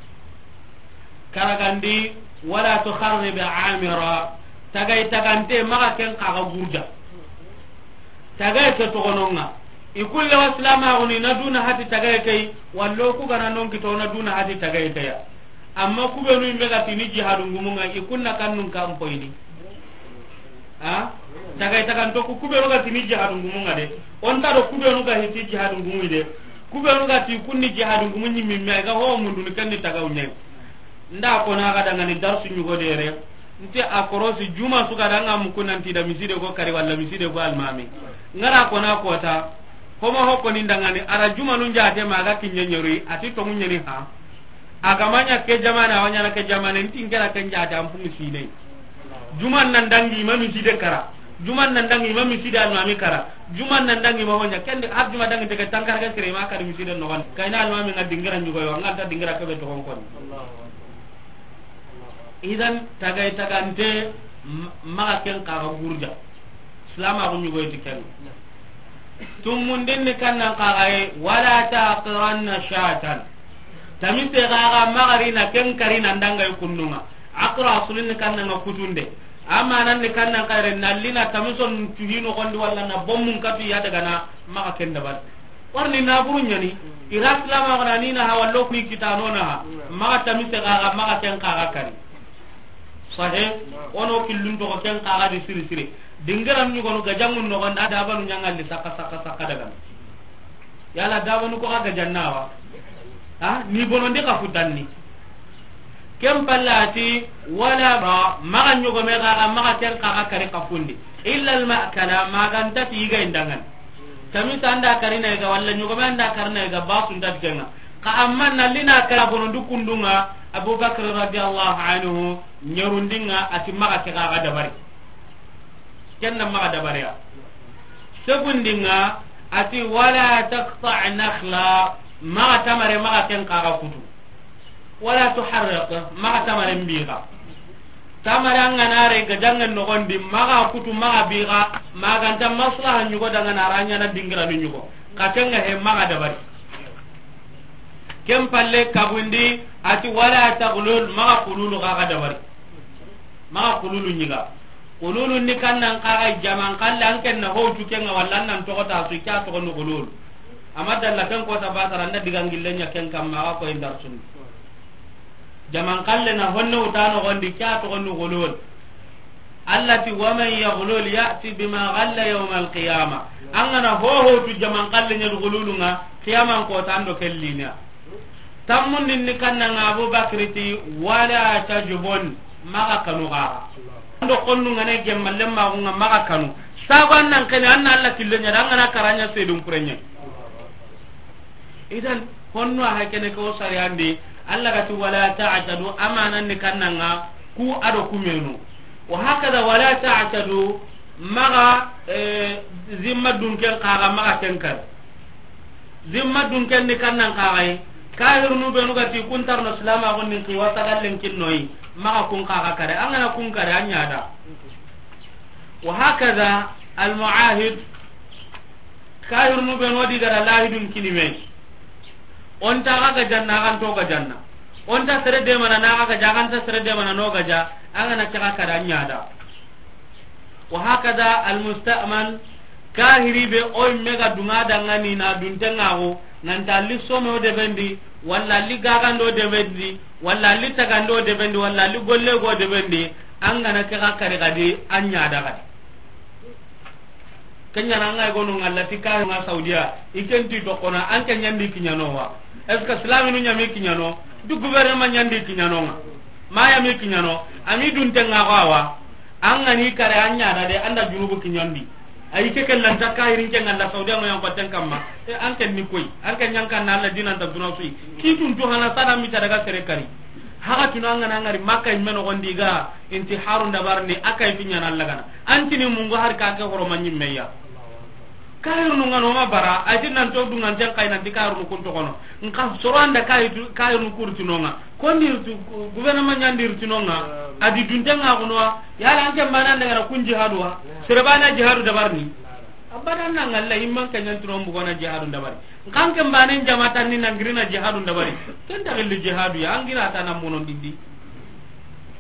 Karagandi, wala tukharrib amira. Tagay tagante maga ken kaga gurja. Tagay ke togononga. I kulle wa silama guni na duna hati tagay kay, wallo ku gana non kito na duna hati tagay kaya. Amma kubenu imbe ga tini jihadu ngumunga, i kunna kannun kan poyini. Ha? Tagay taganto ku kubenu ga tini jihadu ngumunga de. Onta do kubenu ga hiti jihadu ngumu de. Kubenu ga ti kunni jihadu ngumu ɲimmi me ga ho mundu ni kenni tagaw ɲay. Nda ko na ga dangani darsu ɲugo dere. Nte a korosi juma su ga danga muku nanti da miside ko kari walla miside ko almami. Ngara ko na kota. Homa hokko ni dangani ara juma nun jate maga kinye nyori ati to munyeni ha. Agamanya ke jamana, awanyana ke jamana, nti ngera ken jate an fu miside. Juman nan dangi ma miside kara. Juman nan dangi ma miside almami kara. Juman nan dangi ma honya. Kende har juma dangi tege tankara ke sire ma kari miside no wan. Kayna almami nga dingira ɲugo yo, nga ta dingira kebe to kon kon. Idan tagay tagante m-, maga ken kaga gurja. Silama ko ɲugo ti ken. Tumundin ni kannan kaga ye, wala taqiranna shatan. Tamise gaga magarina ken karina ndangay kunnunga. Aqra asulin ni kannanga kutunde. Amanan ni kannan kayre nallina tamison tuhino gondi walla na bommun katu ya daga na maga ken dabar. Warni naburu ɲani, ira silama gona ni na ha wallo kuni kitano na ha. Maga tamise gaga maga ken kaga kari. Sahe, ono killun to ken kaga di siri siri. Dingaran ɲugonu gajangun no gonda dabanu ɲangalli saka saka saka daga. Yala dabanu ko ga gajannawa. Ha, ni bonondi ka futanni. Ken pallati wala ba, maga ɲogome gaga maga ken kaga kari kafundi. Illa al ma'kala, maganta ti yiga indangan. Tamisa anda karina yiga, walla ɲogome anda karina yiga, basu nda kenga. Ka amma nallina kara bono dukundunga, Abubakar radiyallahu anhu, ɲerundinga, ati maga ke gaga dabari. Kenna maga dabariya. Segundinga, ati wala taqta nakhla, maga tamare, maga ken kaga kutu. Wala tuharriq, maga tamare mbiga. Tamare angana re gajangen nogondi, maga kutu, maga biga, maganta maslaha ɲugo dangana aranya na dingira ni ɲugo. Katenga he maga dabari. Ken palle kabundi, ati wala taghlul, maga kululu gaga dabari. Maga kululu ɲiga. Xululun ni kannan xa ga jaman xalle, an ken na hotu ken ŋa, walla an nan toxo ta su, ke ya toxo ni xululu. Amma dalla ken ko ta basara, an da digan gillen ɲa ken kamma, a ga ko indar sunni. Jaman xalle na honne wuta noxon di, ke ya toxo ni xululu. Allah ti, "Wa man yaghlul ya'ti bima ghalla yawmal qiyamah." An ga na hohotu jaman xalle ɲa di xululun ŋa, qiyaman ko ta an do ke lina. Tammundin ni kannan ŋa, Abu Bakri ti, "Wala tajbun, maxa kanu xaxa." An do xonnun ŋa ne gemmallen maxun ŋa, maxa kanu. Sago an nan kene, an na Allah killen ɲa da, an ga na kara ɲa sedun kuren ɲa. Idan, honno a hay kene ko sariyandi, Allah ga ti, "Wala ta'tadu," amanan ni kannan ŋa, ku a do ku menu. Wa hakada, "Wala ta'tadu," maxa, eh, zimma dunken xaxa, maxa ken kari. Zimma dunken ni kannan xaxa yi. Kahirunu benu ga ti kun tarno silamaxun ni, ki wasa gallen kinnoyi, maxa kun xaxa kare. An ga na kun kare, an ɲa da. Wa hakada al muahid, kahirunu benu di ga da lahidun kini me. O nta xa ga janna, xa nto ga janna. O nta sere demana na xa ga ja, xa nta sere demana no ga ja. An ga na ke xa kare, an ɲa da. Wa hakada al musta'man, kahiri be o yimme ga dunga dangani na dunten ŋa xo, nan ta li some o debendi, walla li gagando debendi, walla li tagando debendi, walla li golle go debendi, an ga na ke xa kare gadi, an ɲa da gadi. Ken ɲa na an ga yi gono ŋa lati kayo ŋa Saudiya, i ken ti toxo na, an ke ɲa ndi kiɲano wa. Est-ce que silaminu ɲa mi kiɲano? Du gouvernement ɲa ndi kiɲano ŋa. Ma ya mi kiɲano, a mi dunten ŋa xo awa. An ga ni kare, an ɲa da de, an da junubu kiɲandi. Ayi ke ke lanta kahirin ke ŋa la Saudiya ŋo yan ko ten kamma. E, an ke ni koy, an ke ɲa n kan na Allah dinan ta duna suyi. Ki tun tu hana sada mi ta daga sere kari. Haga tuna an ga na ŋari Makka yimme noxon di ga intiharun dabarini, a kay fi ɲa na Allah gana. An tini mungu har ka ke horo ma ɲimme ya. Kahirunu ŋa no ma bara, a ti nan to dungan ten kay nan ti kahirunu kun toxo no. Nka soro an da kahitu, kahirunu kurti no ŋa. Kondi tu, gouvernement ɲa ndi rti no ŋa. A di dunten ŋa xo no wa. Yala an ke mbana an da ga na kun jihadu wa. Sere bana jihadu dabarini. Abadan na ŋalla, imman ke ɲa n turo mbugo na jihadu dabari. Nka an ke mbane n jama tan ni na ngiri na jihadu dabari. Ken ta gilli jihadu ya, an gira ta na mono dindi.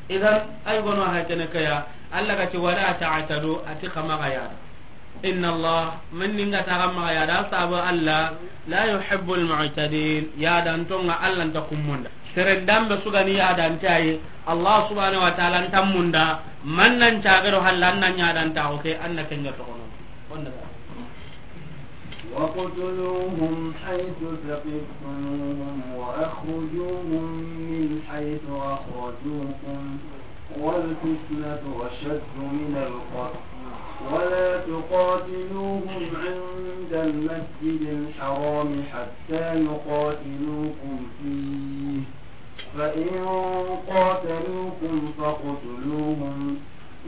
Idan, ay gono ha kene kaya, Allah ga ti, "Wala ta'tadu," a ti xa maxa yada. Inna Allah, man ni nga ta xa maxa yada, sabu Allah, "la yuhibbul mu'tadin," yadanton ŋa Allah nta kummunda. Seren dambe su ga ni yadante ayi, Allah subhanahu wa ta'ala nta munda, man nan cagero halla an nan yadanta, o ke, an na ken ɲa toxo no. واقتلوهم حيث ثقفتموهم وأخرجوهم من حيث أخرجوكم والفتنة أشد من القتل ولا تقاتلوهم عند المسجد الحرام حتى يقاتلوكم فيه فإن قاتلوكم فاقتلوهم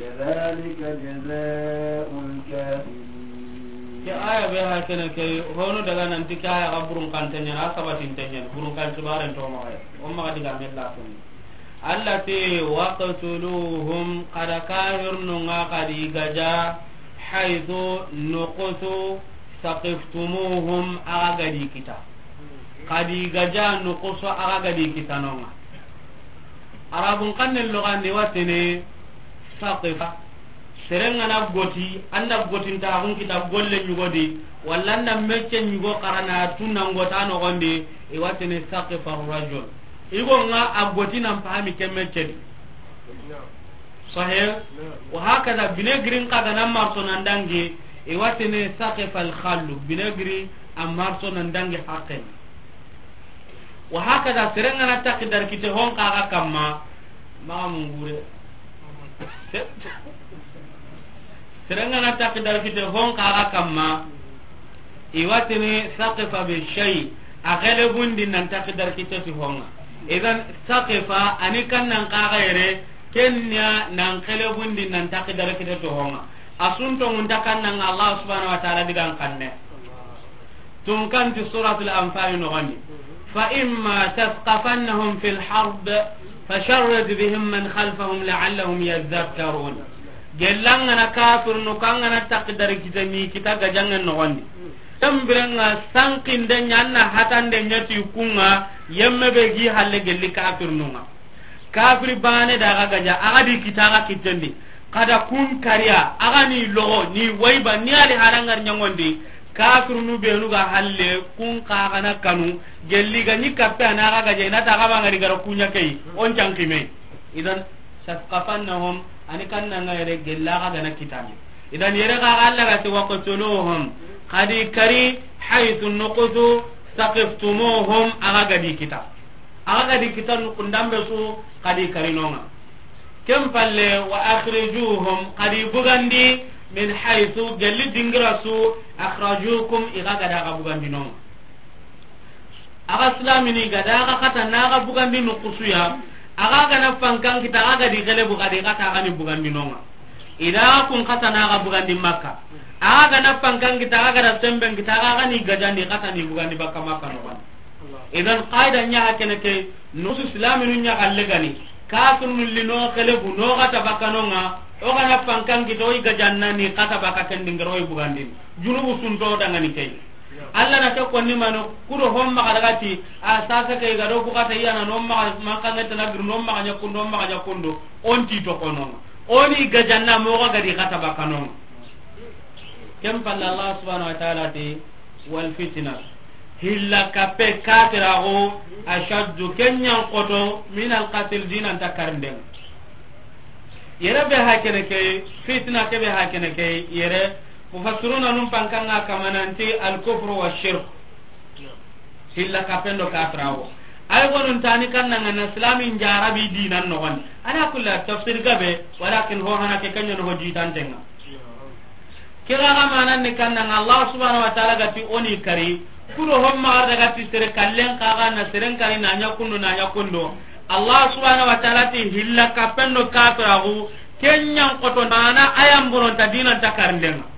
كذلك جزاء الكافرين. Ke aya be ha kene ke, hono daga nan ti ke aya ga burun kan tanya na sabatin tanya, burun kan tibaren to ma aya. O ma diga me la tun. Allah ti, "Waqtuluhum," kada kahirnu nga kadi gaja, "haythu," nukusu, "saqiftumuhum," aga gadi kita. Kadi gaja nukusu aga gadi kitanonga. Arabun kannen logandi watene saqifa. Serengana goti, anda gotinta agun kita golle nyugodi, walla anda mecce nyugo karana tunna ngota nogondi, iwatene saqifa rajul. Igo nga a goti nan pahami ke mecce di. Sahih? Wa hakada binegirin kaga nan marso nan dangi, iwatene saqifa al khallu. Binegiri a marso nan dangi haqqen. Wa hakada, serengana takki dar kite hon kaga kamma, maga mungure. Serengana takki dar kite hon kaga kamma, iwatini saqifa bi shay, a gelebundi nan takki dar kite ti honga. Idan saqifa ani kan nan kaga yere, kenya nan gelebundi nan takki dar kite ti honga. Asunto ngunta kan nan Allah subhanahu wa ta'ala digan kanne. Tun kan ti Suratul Anfal nogondi. فإما تثقفنهم في الحرب فشرد بهم من خلفهم لعلهم يذكرون. Gellangana kafirnu kangana takdari kitani kita gajangen nogondi. Tambirenga sankinde nyanna hatande nyati kunga yemme be gi halle gelli kafirnunga. Kafiri bane daga gaja, aga di kita aga kitendi. Xa da kun kariya, a ga ni loxo, ni wayba, ni ali halangar ɲangondi, kafirunu benu ga halle, kun xa ga na kanu, gelli ga ni kappe a na ga gaje, i na ta ga ma ngari gara kunya kay, on cankime. Idan, sasqafannahum, ani kanna nga yere gella ga ga na kitani. Idan yere ga ga Allah ga ti waqtuluhum, xa di kari, haythu nuqtu, saqiftumuhum, a ga ga di kita. A ga ga di kita nukundambe su, xa di kari nonga. Ken palle, wa akhrijuhum, xa di bugandi, min haythu, gelli dingira su, akhrajukum, i ga ga da ga bugandi nonga. A ga silamini ga da ga kata na ga bugandi nukusuya, a ga ga na fankan kita, a ga di gelebu, ga di kata, a ga ni bugandi nonga. I da kun kata na ga bugandi Makka. A ga na fankan kita, a ga da semben kita, a ga ni gajandi kata ni bugandi bakka Makka no. Idan qaida nya hakene ke, no su silaminu nya galle gani. Kafirnu li no gelebu, no kata bakka nonga. O ga na fankan kita, o i gajanna ni kata bakka ken dingiro, o i bugandi. Junubu sunto dangani kay. Allah na ke konni mano, kudo homma ga daga ti, a sasa ke ga do ku kata yana no ma, ma kan ta na gir no ma nya kundo, ma nya kundo, on ti to kono. Oni gajanna mo ga di kata bakano. Ken palle Allah subhanahu wa ta'ala ti, wal fitna. Hilla kappe katirago, ashaddu, ken ɲan koto, min al qatl, dinan ta karnden. Yere be hakene ke, fitna ke be hakene ke, yere, mufassiruna num pankanga kamananti al kufru wa shirk. Hilla kapendo kafirawo. Ay gonun tani kannanga na islamin jarabi dinan no gon. Ala kulli tafsir gabe, walakin ho hana ke kanyo no ho jitantenga. Kira ga manan ni kannanga Allah subhanahu wa ta'ala ga ti oni kari. Kudo homma arda ga ti sere kallen kaga na seren kari na nya kundo na nya kundo. Allah subhanahu wa ta'ala ti hilla kapendo kafirawo. Ken ɲan koto mana ayan bonon ta dinan ta karndenga.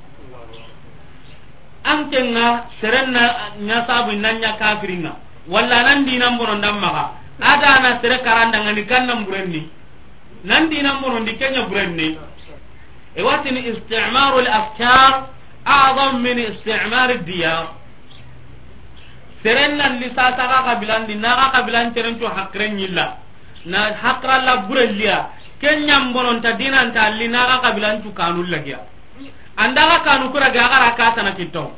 An kenga seren na ɲa sabu nan ɲa kafiringa. Walla nan dinan bonon dan maga. Ada na sere karandanga ni kannan burenni. Nan dinan bonon di kenya burenni. E watini isti'marul afkar a'zam min isti'mar diyar. Seren nan li sasa ga kabilan di, na ga kabilan teren to hakren yilla. Na hakra la burelliya. Ken ɲan bonon ta dinan ta li na ga kabilan tu kanu lagiya. Anda ga kanu kura ga gara ka tana kitto.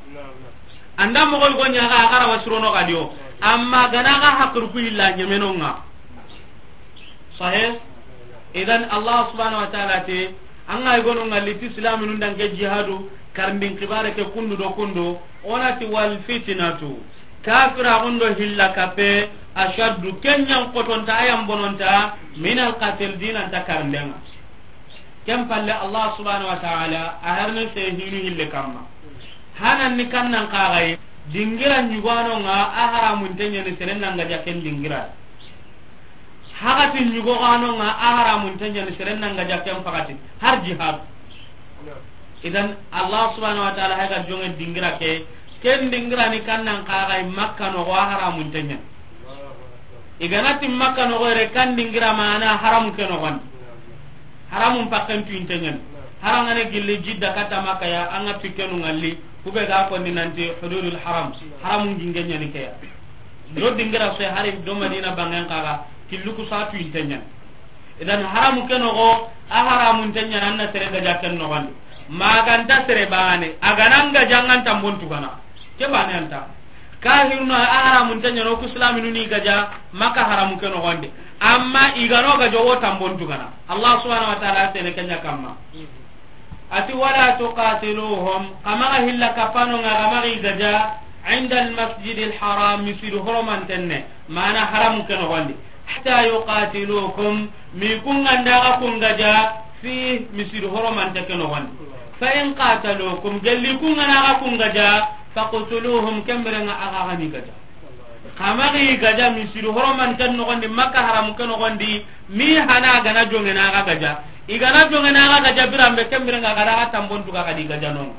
Anda mo gol gonya ga gara wasrono ga diyo. Amma gana ga hakru ku illa nyemenonga. Sahih? Idan Allah subhanahu wa ta'ala te, an ga gono ngalli ti islaminun danke jihadu, karndin kibare ke kundu do kundu, onati wal fitnatu. Kafira gundo hilla kape, ashaddu, ken ɲan kotonta, ayan bononta, min al qatl, dinan ta karndenga. Ken palle Allah subhanahu wa ta'ala, a harne se hinu hille kamma. Hanan ni kannan kagai, dingira nyugano nga, a haramun tenyani seren nanga jaken dingira. Hakati ɲugo gano nga a haramun tenyani seren nanga jaken pakati har jihad. Idan Allah subhanahu wa ta'ala haga jonge dingira ke, ken dingira ni kannan kagai Makka no go a haramun tenyani. Iganati Makka no go re kan dingira mana haramu ke no gon. Haramun pakken tu intenyani. Harangane gilli Jidda kata Makka ya, anga tikenu ngalli, kube ga ko ni nanti hududul haram. Haramun gingenyani ke ya. Do dingira se hari do Madina bangen kaga, killu ku satu intenyani. Idan haramu ke no go, a haramun tenyani anna sere gaja ken no gon. Maganta sere bane, agananga jangan tambon tugana. Ke bane anta. Kahiruna a haramun tenyani o ku islaminu ni gaja, Makka haramu ke no gonde. Amma igano gajo wo tambon tugana. Allah subhanahu wa ta'ala tene kenya kamma. Ati wala tuqatiluhum, kamaga hilla kapano nga kamaga igaja, inda al masjid al haram, misidu horoman tenne, mana haramu ke no gonde. Hatta yuqatilukum, mi kunga ndaga kungaja, fi misidu horoman te ke no gonde. Fa in qatalukum, gelli kunga naga kungaja, faqtuluhum, kemberenga aga gani gaja. Kamagi gaja misidu horoman ken nogondi, Makka haramu ken nogondi, mi hana gana jongena aga gaja. Igana jongena aga gaja birambe kembirenga gada aga tambon tuga gadi gaja non.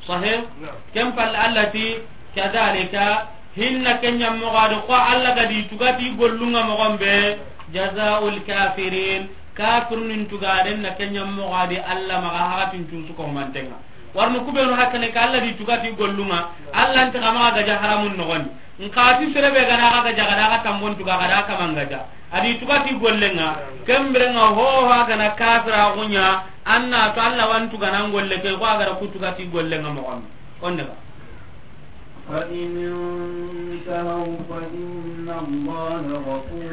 Sahih? Naam. Ken pal allati kadhalika hinna kenya mogadi ko Allah gadi tugati gollunga mogombe jazaul kafirin, kafirun tugaden na kenya mogadi Allah maga hakatin tusu ko mantenga. Warnu kubenu hakkane ka Allah di tugati gollunga, Allah nti kama gaja haramun nogondi. Nkati serebe gana aga gaja gada aga tambon tuga gada kama ngaja. A di tugati gollenŋa, kembirenŋa hoho a gana kafiraxu ɲa, an na to Alla wa n tugana n golle ke, ko a gara ku tugati gollenŋa moxon. Kon daga. فإن انتهوا فإن الله غفور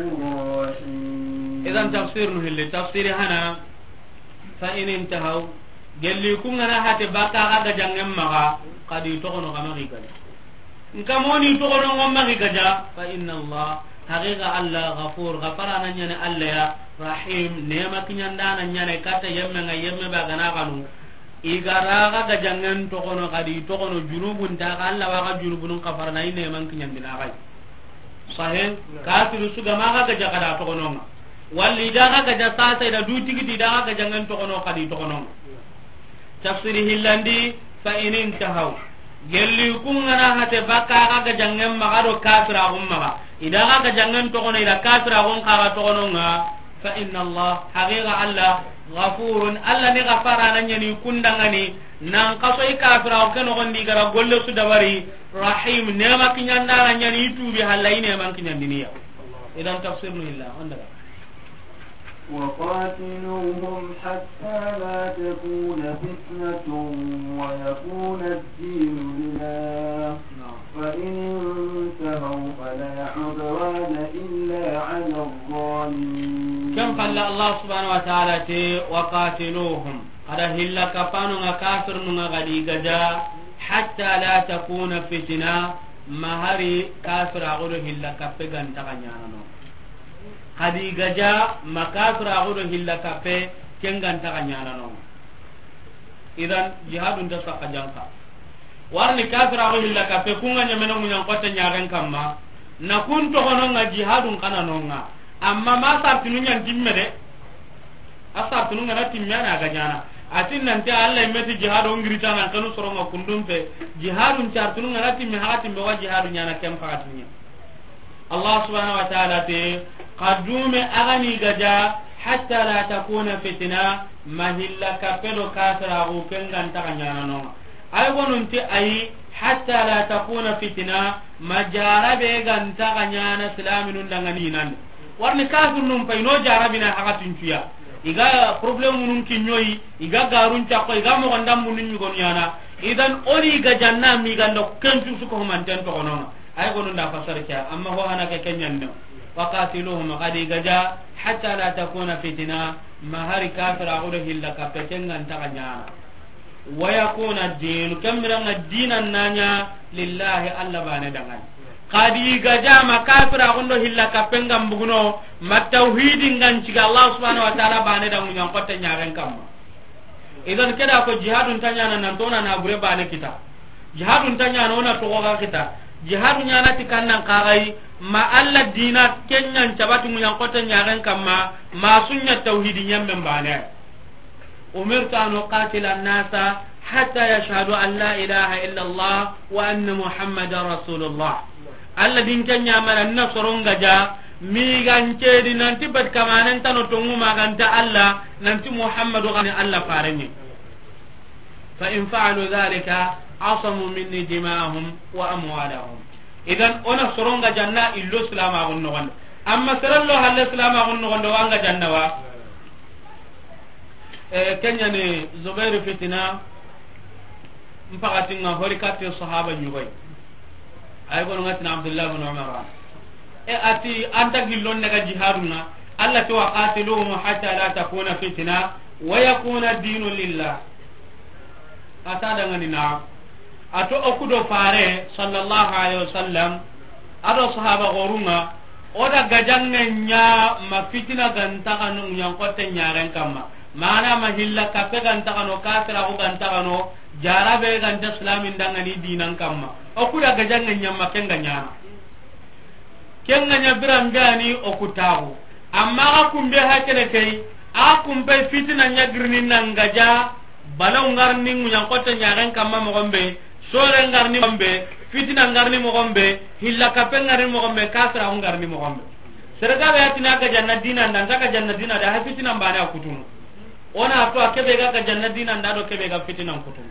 رحيم. Idan tafsir nu hilli, tafsiri hana, فإن انتهوا, gelli ku ŋa na hate baka ga gajaŋen maxa, xa di toxono xa maxi gaja. Nka moni toxono ŋo maxi gaja, فإن الله, haqiqa Alla, غفور, gafara na ɲa ni Alla ya, رحيم, nema kiɲandana ɲa ni katta yemme ŋa, yemme ba gana xanu. I ga ra ga gajaŋen toxono, xa di toxono junubun ta xa, Alla wa ga junubun xafara na i neman kiɲandina xa yi. Sahe, kafiru su ga ma ga gaja xa da toxono ŋa. Walli da ga gaja sasa i da du tigiti da ga gajaŋen toxono xa di toxono ŋa. Tafsiri hillandi, فإن انتهوا. Gelli ku ŋa na hate baka ga gajaŋen maxa do kafiraxun maxa. I da ga gajaŋen toxono i da kafiraxun xa ga toxono ŋa. فإن الله, haqiqa Alla, غفور, Alla ni gafara na ɲa ni kundaŋani, nan xaso i kafiraxu ke noxon di ga ra golle su dabari, رحيم, nema kiɲandana ɲa ni i tubi halla i neman kiɲandini ya. Idan tafsir nu hilla, on daga. وقاتلوهم حتى لا تكون فتنة ويكون الدين لله، نعم. فإن انتهوا فلا عدوان إلا على الظالمين. Ken palle Allah subhanahu wa ta'ala ti, وقاتلوهم. Xa da hilla kapanu ŋa kafirnu ŋa xa di gaja, حتى لا تكون فتنة, ma hari kafiraxu do hilla kappe ga nta xa ɲaana no. Xa di gaja ma kafiraxu do hilla kappe, ken ga nta xa ɲaana no. Idan, jihadun ta saxa janka. Warni kafiraxu hilla kappe, ku ŋa ɲamene muɲan xotte ɲaxen kamma, na kun toxono ŋa jihadun xa na no ŋa. Amma ma sartinu ɲan timme de. A sartunu ŋa na timme, a na ga ɲaana. A ti nanti Allah i me ti jihadu ŋiri ta nan kanu soro ŋa kundun pe. Jihadun sartunu ŋa na timme, haxa timme wa jihadu ɲaana ken paxati ɲa. Allah subhanahu wa ta'ala ti, xa dume a ga ni gaja, حتى لا تكون فتنة, ma hilla kappe do kafiraxu ken ga nta xa ɲaana no ŋa. Ay gonun ti ayi, حتى لا تكون فتنة, ma jarabe ga nta xa ɲaana silaminun daŋani nan. Warni kafirnun pay no jarabina haxa tincuya. I ga problemunun kiɲoyi, i ga garun cakko, i ga moxon dambunun ɲugonu ɲaana. Idan o ni gajanna mi ganda kencu su ko humanten toxono ŋa. Ay gonu nda fasar ke, amma ho hana ke kenyan no. وقاتلوهم, xa di gaja, حتى لا تكون فتنة, ma hari kafiraxu do hilla kappe ken ga nta xa ɲaana. ويكون الدين, ken biranŋa dinan na ɲa, لله, Allah bane daŋani. Xa di gaja ma kafiraxun do hilla kappen ga mbuguno, ma tawhidin ga nciga Allah subhanahu wa ta'ala bane da muɲan xotte ɲaxen kamma. Idan ke da ko jihadun ta ɲaana nan to na na bure bane kita. Jihadun ta ɲaana o na toxo ga kita. Jihadu ɲaana ti kannan xa ga yi, ma Allah dina ken ɲan cabati muɲan xotte ɲaxen kamma, ma su ɲa tawhidi ɲammen bane. أمرت أن أقاتل الناس حتى يشهدوا أن لا إله إلا الله وأن محمدا رسول الله. Allah din ken ɲamana na soron gaja, mi gan cedi nanti bat kamanen tano tongu ma ga nta Allah, nanti Muhammadu gani Allah farenye. فإن فعلوا ذلك عصموا مني دماءهم وأموالهم. Idan o na soron gajanna illo silamaxun noxonde. Amma serello halle silamaxun noxonde wa n gajanna wa. Eh, ken ɲa ni Zubairu fitina, n paxatin ŋa hori katte sahaba ɲugoy. Ay gonu ŋa tina Abdullah bin Umar. E a ti an ta gillon daga jihadun ŋa. Allah ti: وقاتلوهم حتى لا تكون فتنة ويكون الدين لله. A ta daŋani na. A to o ku do Fare, sallallahu alaihi wasallam, a do sahaba xorun ŋa, o da gajaŋe ɲa ma fitina ga nta xa no ɲan xotte ɲaxen kamma. Mana ma hilla kappe ga nta xa no, kafiraxu ga nta xa no, jarabe ga nta silamin daŋani dinan kamma. O ku da gajaŋe ɲa ma ken ga ɲaana. Ken ga ɲa biran be ani o ku taxu. Amma ga kumbe hakene kay, a kumbe fitina ɲa girini nan gaja, balaw ŋarni muɲan xotte ɲaxen kamma moxon be, sore ŋarni moxon be, fitina ŋarni moxon be, hilla kappe ŋarni moxon be, kafiraxu ŋarni moxon be. Sere ga be a tina gajanna dina nda, nta gajanna dina da, ha fitina bane a kutunu. O na to a kebe ga gajanna dina nda do kebe ga fitina kutunu.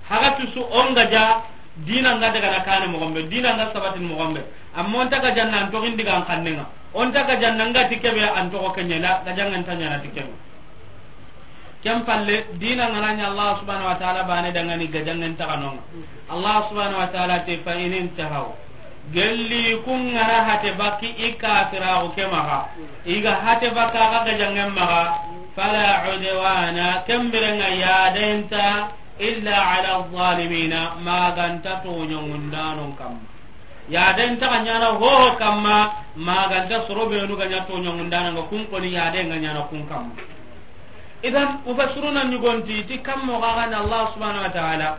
Haga tusu o n gaja, dina nga daga na kane moxon be, dina nga sabatin moxon be. Amma o nta gajanna an toxin diga an xannen ŋa. O nta gajanna nga ti kebe an toxo ke ɲa la, gajanŋen nta ɲaana ti kebe. Ken palle, diina ŋa na ɲa Allah subhanahu wa ta'ala baane dangani gajanŋen taxanonŋa. Allah subhanahu wa ta'ala ti, fa in intahaw. Gelli kun ŋa na hate bakki i kafiraaxu ke maxa. I ga hate bakka ga gajanŋen maxa. Fala udwana, ken biren ŋa yaaden nta illa ala zalimina, ma ga nta tooɲanŋundaanon kamma. Yaaden nta ga ɲaana hoho kamma, ma ga nta soro beenu ga ɲa tooɲanŋundaana nga kun koni yaaden ga ɲaana kun kamma. Idan, mufassiruna ɲi go nti, ti kammo ga ga ni Allah subhanahu wa ta'ala.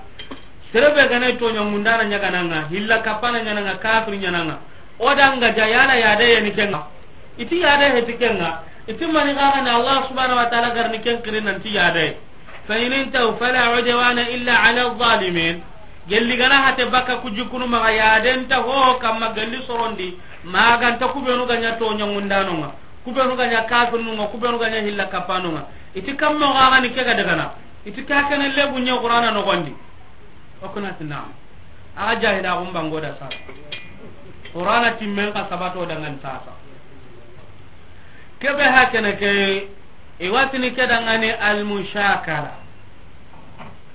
Sere be ga na tooɲanŋundaana ɲaagana nga, hilla kappana ɲaana nga, kafiri ɲaana nga. O da nga ja yala yaade ya ni ken ŋa. I ti yaade he ti ken ŋa. I ti mani ga ga ni Allah subhanahu wa ta'ala ga ri ni ken xiri nan ti yaade. Fa in intahaw fala udwana illa ala zalimin. Gelli ga na hate bakka ku jikkunu maxa, yaaden nta hoho kamma gelli sorondi, ma ga nta ku beenu ga ɲa tooɲanŋundaanonŋa, ku beenu ga ɲa kafirnunŋa, ku beenu ga ɲa hilla kappanonŋa. I ti kammo ga ga ni ke ga dagana. I ti ka kene lebu ɲa Qur'ana noxondi. O ku na ti naam. A ga jahilaaxun bango da sasa. Qur'ana timmen ka sabato dangan sasa. Kebe hakene ke, i wa ti ni ke dangani al mushakala.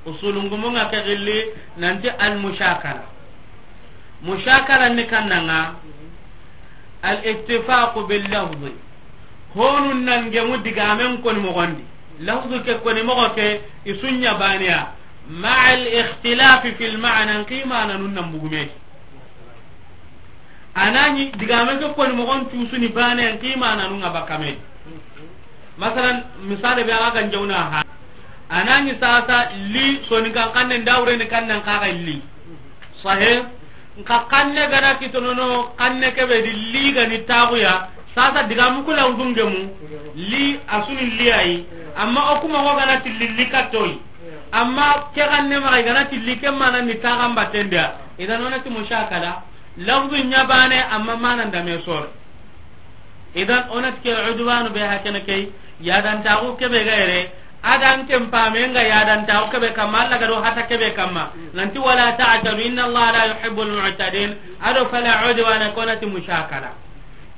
Usulungumunŋa ke gilli nanti al mushakala. Mushakala ni kannanga al ittifaqu bil lafzi. Honu nan gemu digamen koni moxondi. Lafzu ke koni moxo ke i su ɲa baane ya. Ma'a al ikhtilafi fil ma'na, nki maananun nan bugume. A na ɲi digame ke koni moxon tusuni baane, nki maananun ŋa bakame. Masalan, misale be a ga jawna ha. A na ɲi sasa li soni kan kanne ndawre ni kannan ka ga li. Sahe. Nka kanne ga na kitonono, kanne kebe di li ga ni taxuya. Sasa digamu kula udungemu. Li a su ni li ayi. Amma o kuma ko ga na ti li li katoyi. Amma ke kanne maxa i ga na ti li ke maanan ni taxan batten di ya. Idan o na ti mushakala. Lafzu ɲa baane amma maanan da me sore. Idan o na ti ke udwanu be hakene ke, yaadantaxu kebe ga yere, a da an ken pame nga yaadantaxu kebe kamma, Alla ga do hata kebe kamma. Nanti wala ta'tadu, inna Allaha la yuhibbul mu'tadin. A do fala udwana, ko na ti mushakala.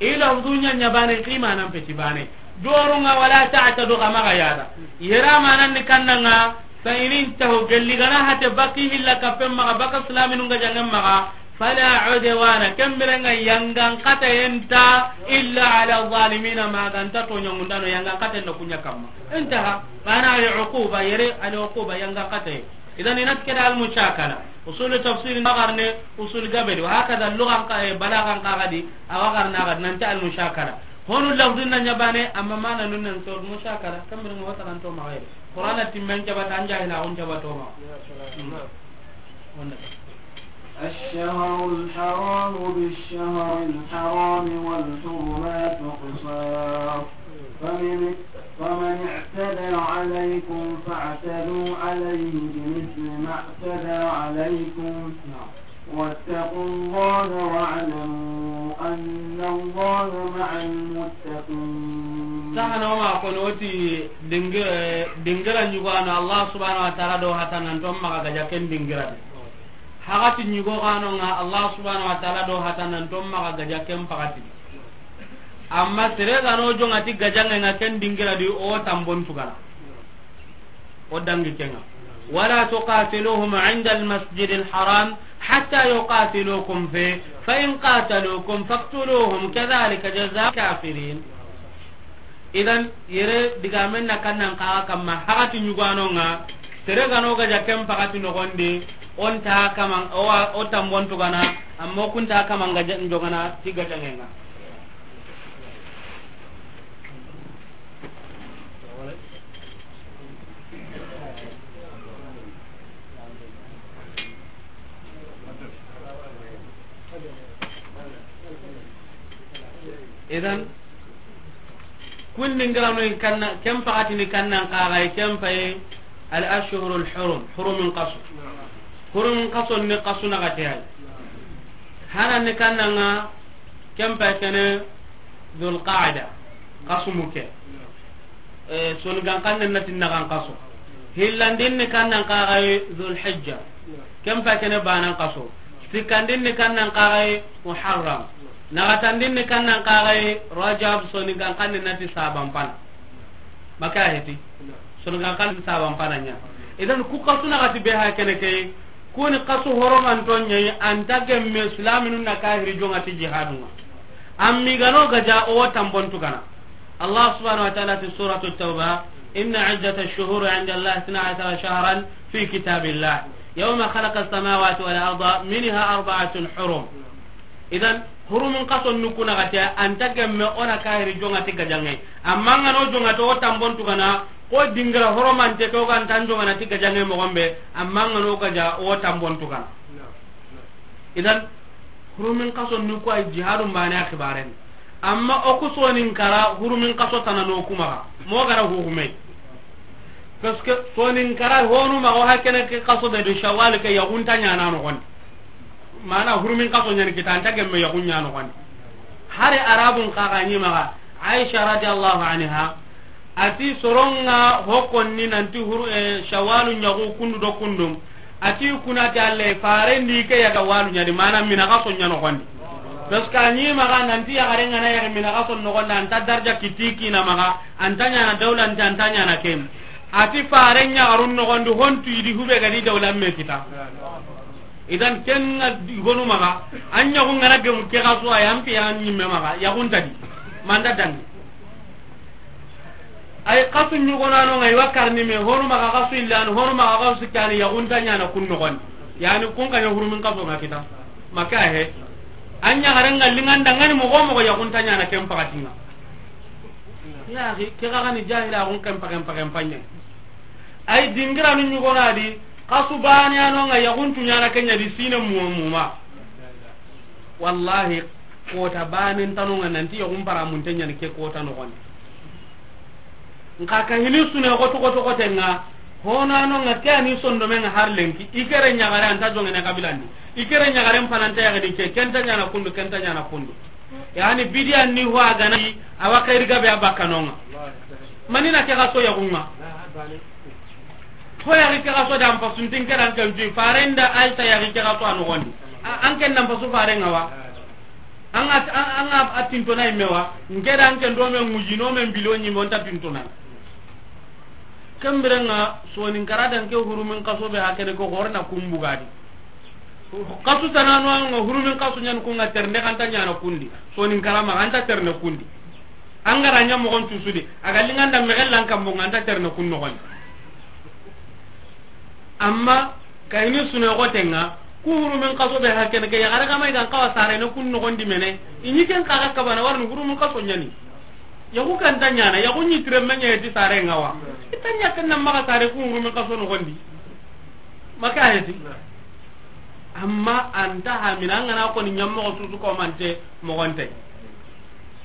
I lafzu ɲa ɲa baane, nki maanan peti baane. Doru nga wala ta'tadu ga maxa yaada. Yere maanan ni kannanga, fa in intahaw, gelli ga na hate bakki hilla kappen maxa, bakka silaaminun gajanŋen maxa, fala udwana, ken biren ŋa yangan xataye nta illa ala zalimina, ma ga nta tooɲanŋundaano yangan xataye nda ku ɲa kamma. Intaha, baane al uquba, yere al uquba yangan xataye. Idan i na ti ke da al mushakala. Usul tafsir a wa xarne, usul gabe di. Wa hakada lugan xa, eh, balagan xa ga di, a wa xarne a ga di nanti al mushakala. Honu lafzun na ɲa baane, amma maananun nan sor mushakala. Ken biren ŋa wa taranto maxa yere. Qur'ana timmen cabata, an jahilaaxun cabato maxa. الشهر الحرام بالشهر الحرام والحرمات قصاص، فمن، فمن اعتدى عليكم فاعتدوا عليه بمثل ما اعتدى عليكم، واتقوا الله واعلموا أن الله مع المتقين. Sahana o ma ko no ti dingi-, eh, dingira ɲugano Allah subhanahu wa ta'ala do hata nan to maxa gaja ken dingira de. Hagati ɲugo gano nga Allah subhanahu wa ta'ala do hata nan to maxa gaja ken pakati. Amma sere gano jonga ti gajanŋe nga ken dingira di o tambon tugana. O dangi kenga. ولا تقاتلوهم عند المسجد الحرام حتى يقاتلوكم فيه فإن قاتلوكم فاقتلوهم كذلك جزاء الكافرين. Idan, yere digamen na kannan kaga kamma, hagati ɲugano nga, sere gano gaja ken pakati nogondi, o nta kaman, o wa, o tambon tugana, amma o ku nta kaman gaja njogana ti gajanŋe nga. Idan, kun dingirano in kanna, ken pakati ni kannan kaga, ken paye al ashhurul hurum, hurumin kaso. Hurumin kaso ni kaso na gate ay. Hanan ni kannanga, ken paye kene Dhul Qa'da, kaso muke. Eh, soni gankanne na ti nagan kaso. Hillandin ni kannan kaga Dhul Hijja. Ken paye kene banan kaso. Sikkandin ni kannan kaga Muharram. Naxatandin ni kannan kaxay Rajab, soninkan xanne na ti saban pana. Maka heti. Soninkan xanne saban pana ɲa. Idan ku xasu naxati be ha kene ke, kuni xasu horomanton ɲayi, anta gemme silaminu na kahiri jonga ti jihadunga. Ammi gano gaja o tambon tugana. Allah subhanahu wa ta'ala ti Suratu Tawba: "Inna iddata ash-shuhuri inda Allah ithna ashara shahran fi kitabillah, yawma khalaqa as-samawati wal arda minha arba'atun hurum." Idan, hurumin xason nuku naxati, anta gemme o na kahiri jonga ti gajange. Amma ngano jonga to o tambon tugana, ko dingira horomante ko ga ntan jonga na ti gajange moxon be, amma ngano gaja o tambon tugana. Idan, hurumin xason nuku ay jihadun bane a xibaren. Amma o ku sonin kara hurumin xaso tana no kuma ga. Mo gara hurume. Parce que sonin kara honu ma o hakene ke xaso be do Shawwal ke yaxunta ɲana no gon. Mana hurumin xaso ɲani kita anta gemme yaxun ɲano gon. Hari Arabun kaga ɲi maga. Aisha radiyallahu anha, ati soronga hokonni nanti huru, eh, Shawwalu ɲaxu kundu do kundu. Ati kunati Alla, farendi ke yaga walu ɲadi, mana mina xaso ɲa noxondi. Parce que a ɲi maxa nanti yaxare ngana yaxi mina xaso noxondi, anta darja kiti kina maxa, anta ɲana dawla nti, anta ɲana ken. Ati fare ɲaxarun noxondi, hontu idi hube gadi dawla me kita. Idan ken na gonu maxa, an ɲaxu ngana gemu ke xaso, ay an pi an ɲimme maxa, yaxuntadi. Manda dangi. Ay xasu ɲugonano nga i wa karni me, honu maxa xasu illani, honu maxa xasu sikkani, yaxunta ɲana kun noxondi. Yani kun kaɲa hurumin xaso nga kita. Maka he. An ɲaxare nga linganda ngani moxo moxo yaxunta ɲana ken paxatinga. Yaxi, ke xaxani jahila xun ken paxen paxen paɲe. Ay dingiranu ɲugonadi, xasu bane ano nga yaxuntu ɲana kenya di sine muma muma. Wallahi, kota banen tanonga nanti yogun paramunte ɲani ke kota noxondi. Nka ka hini sune xoto xoto xote nga, honano nga ke ani sondome nga har lenki, i kere ɲaxare anta jongene kabilandi. I kere ɲaxare mpananta yaxini ke, kenta ɲana kundu, kenta ɲana kundu. Yani bidiya ni ho a gana, awa xayri gabe a bakkanonga. Manina ke xaso yaxunga. Ho yaxi ke xaso da an pasu nti n ke da an ken tu, faren da Aisha yaxi ke xaso a noxondi. A, an ken da an pasu faren ŋa wa. An ga, an, an ga a tintona i me wa. N ke da an ken do me ŋuji no me mbilo ɲi mo nta tintona. Ken biren ŋa sonin kara da n ke hurumin xaso be hakene ko xorna kumbugadi. Xasu tanano an ŋa hurumin xasu ɲan kun ŋa ternde kanta ɲana kundi. Sonin kara ma anta terne kundi. An ga ra ɲa moxon tusudi, a ga linganda mexellan kambo nga anta terne kun noxondi. Amma kayini sune xotenga, ku hurumin xaso be hakene ke, yaxare kama i gan xawa sarene kun noxondi mene, i ɲi ken xaxa kabana warni hurumin xaso ɲani. Yaxu kanta ɲana, yaxu ɲi tiremme ɲa heti sare nga wa. I ta ɲa ken na maxa sare ku hurumin xaso noxondi. Maka heti. Amma anta hamina an gana koni ɲammoxo susu komante moxonte.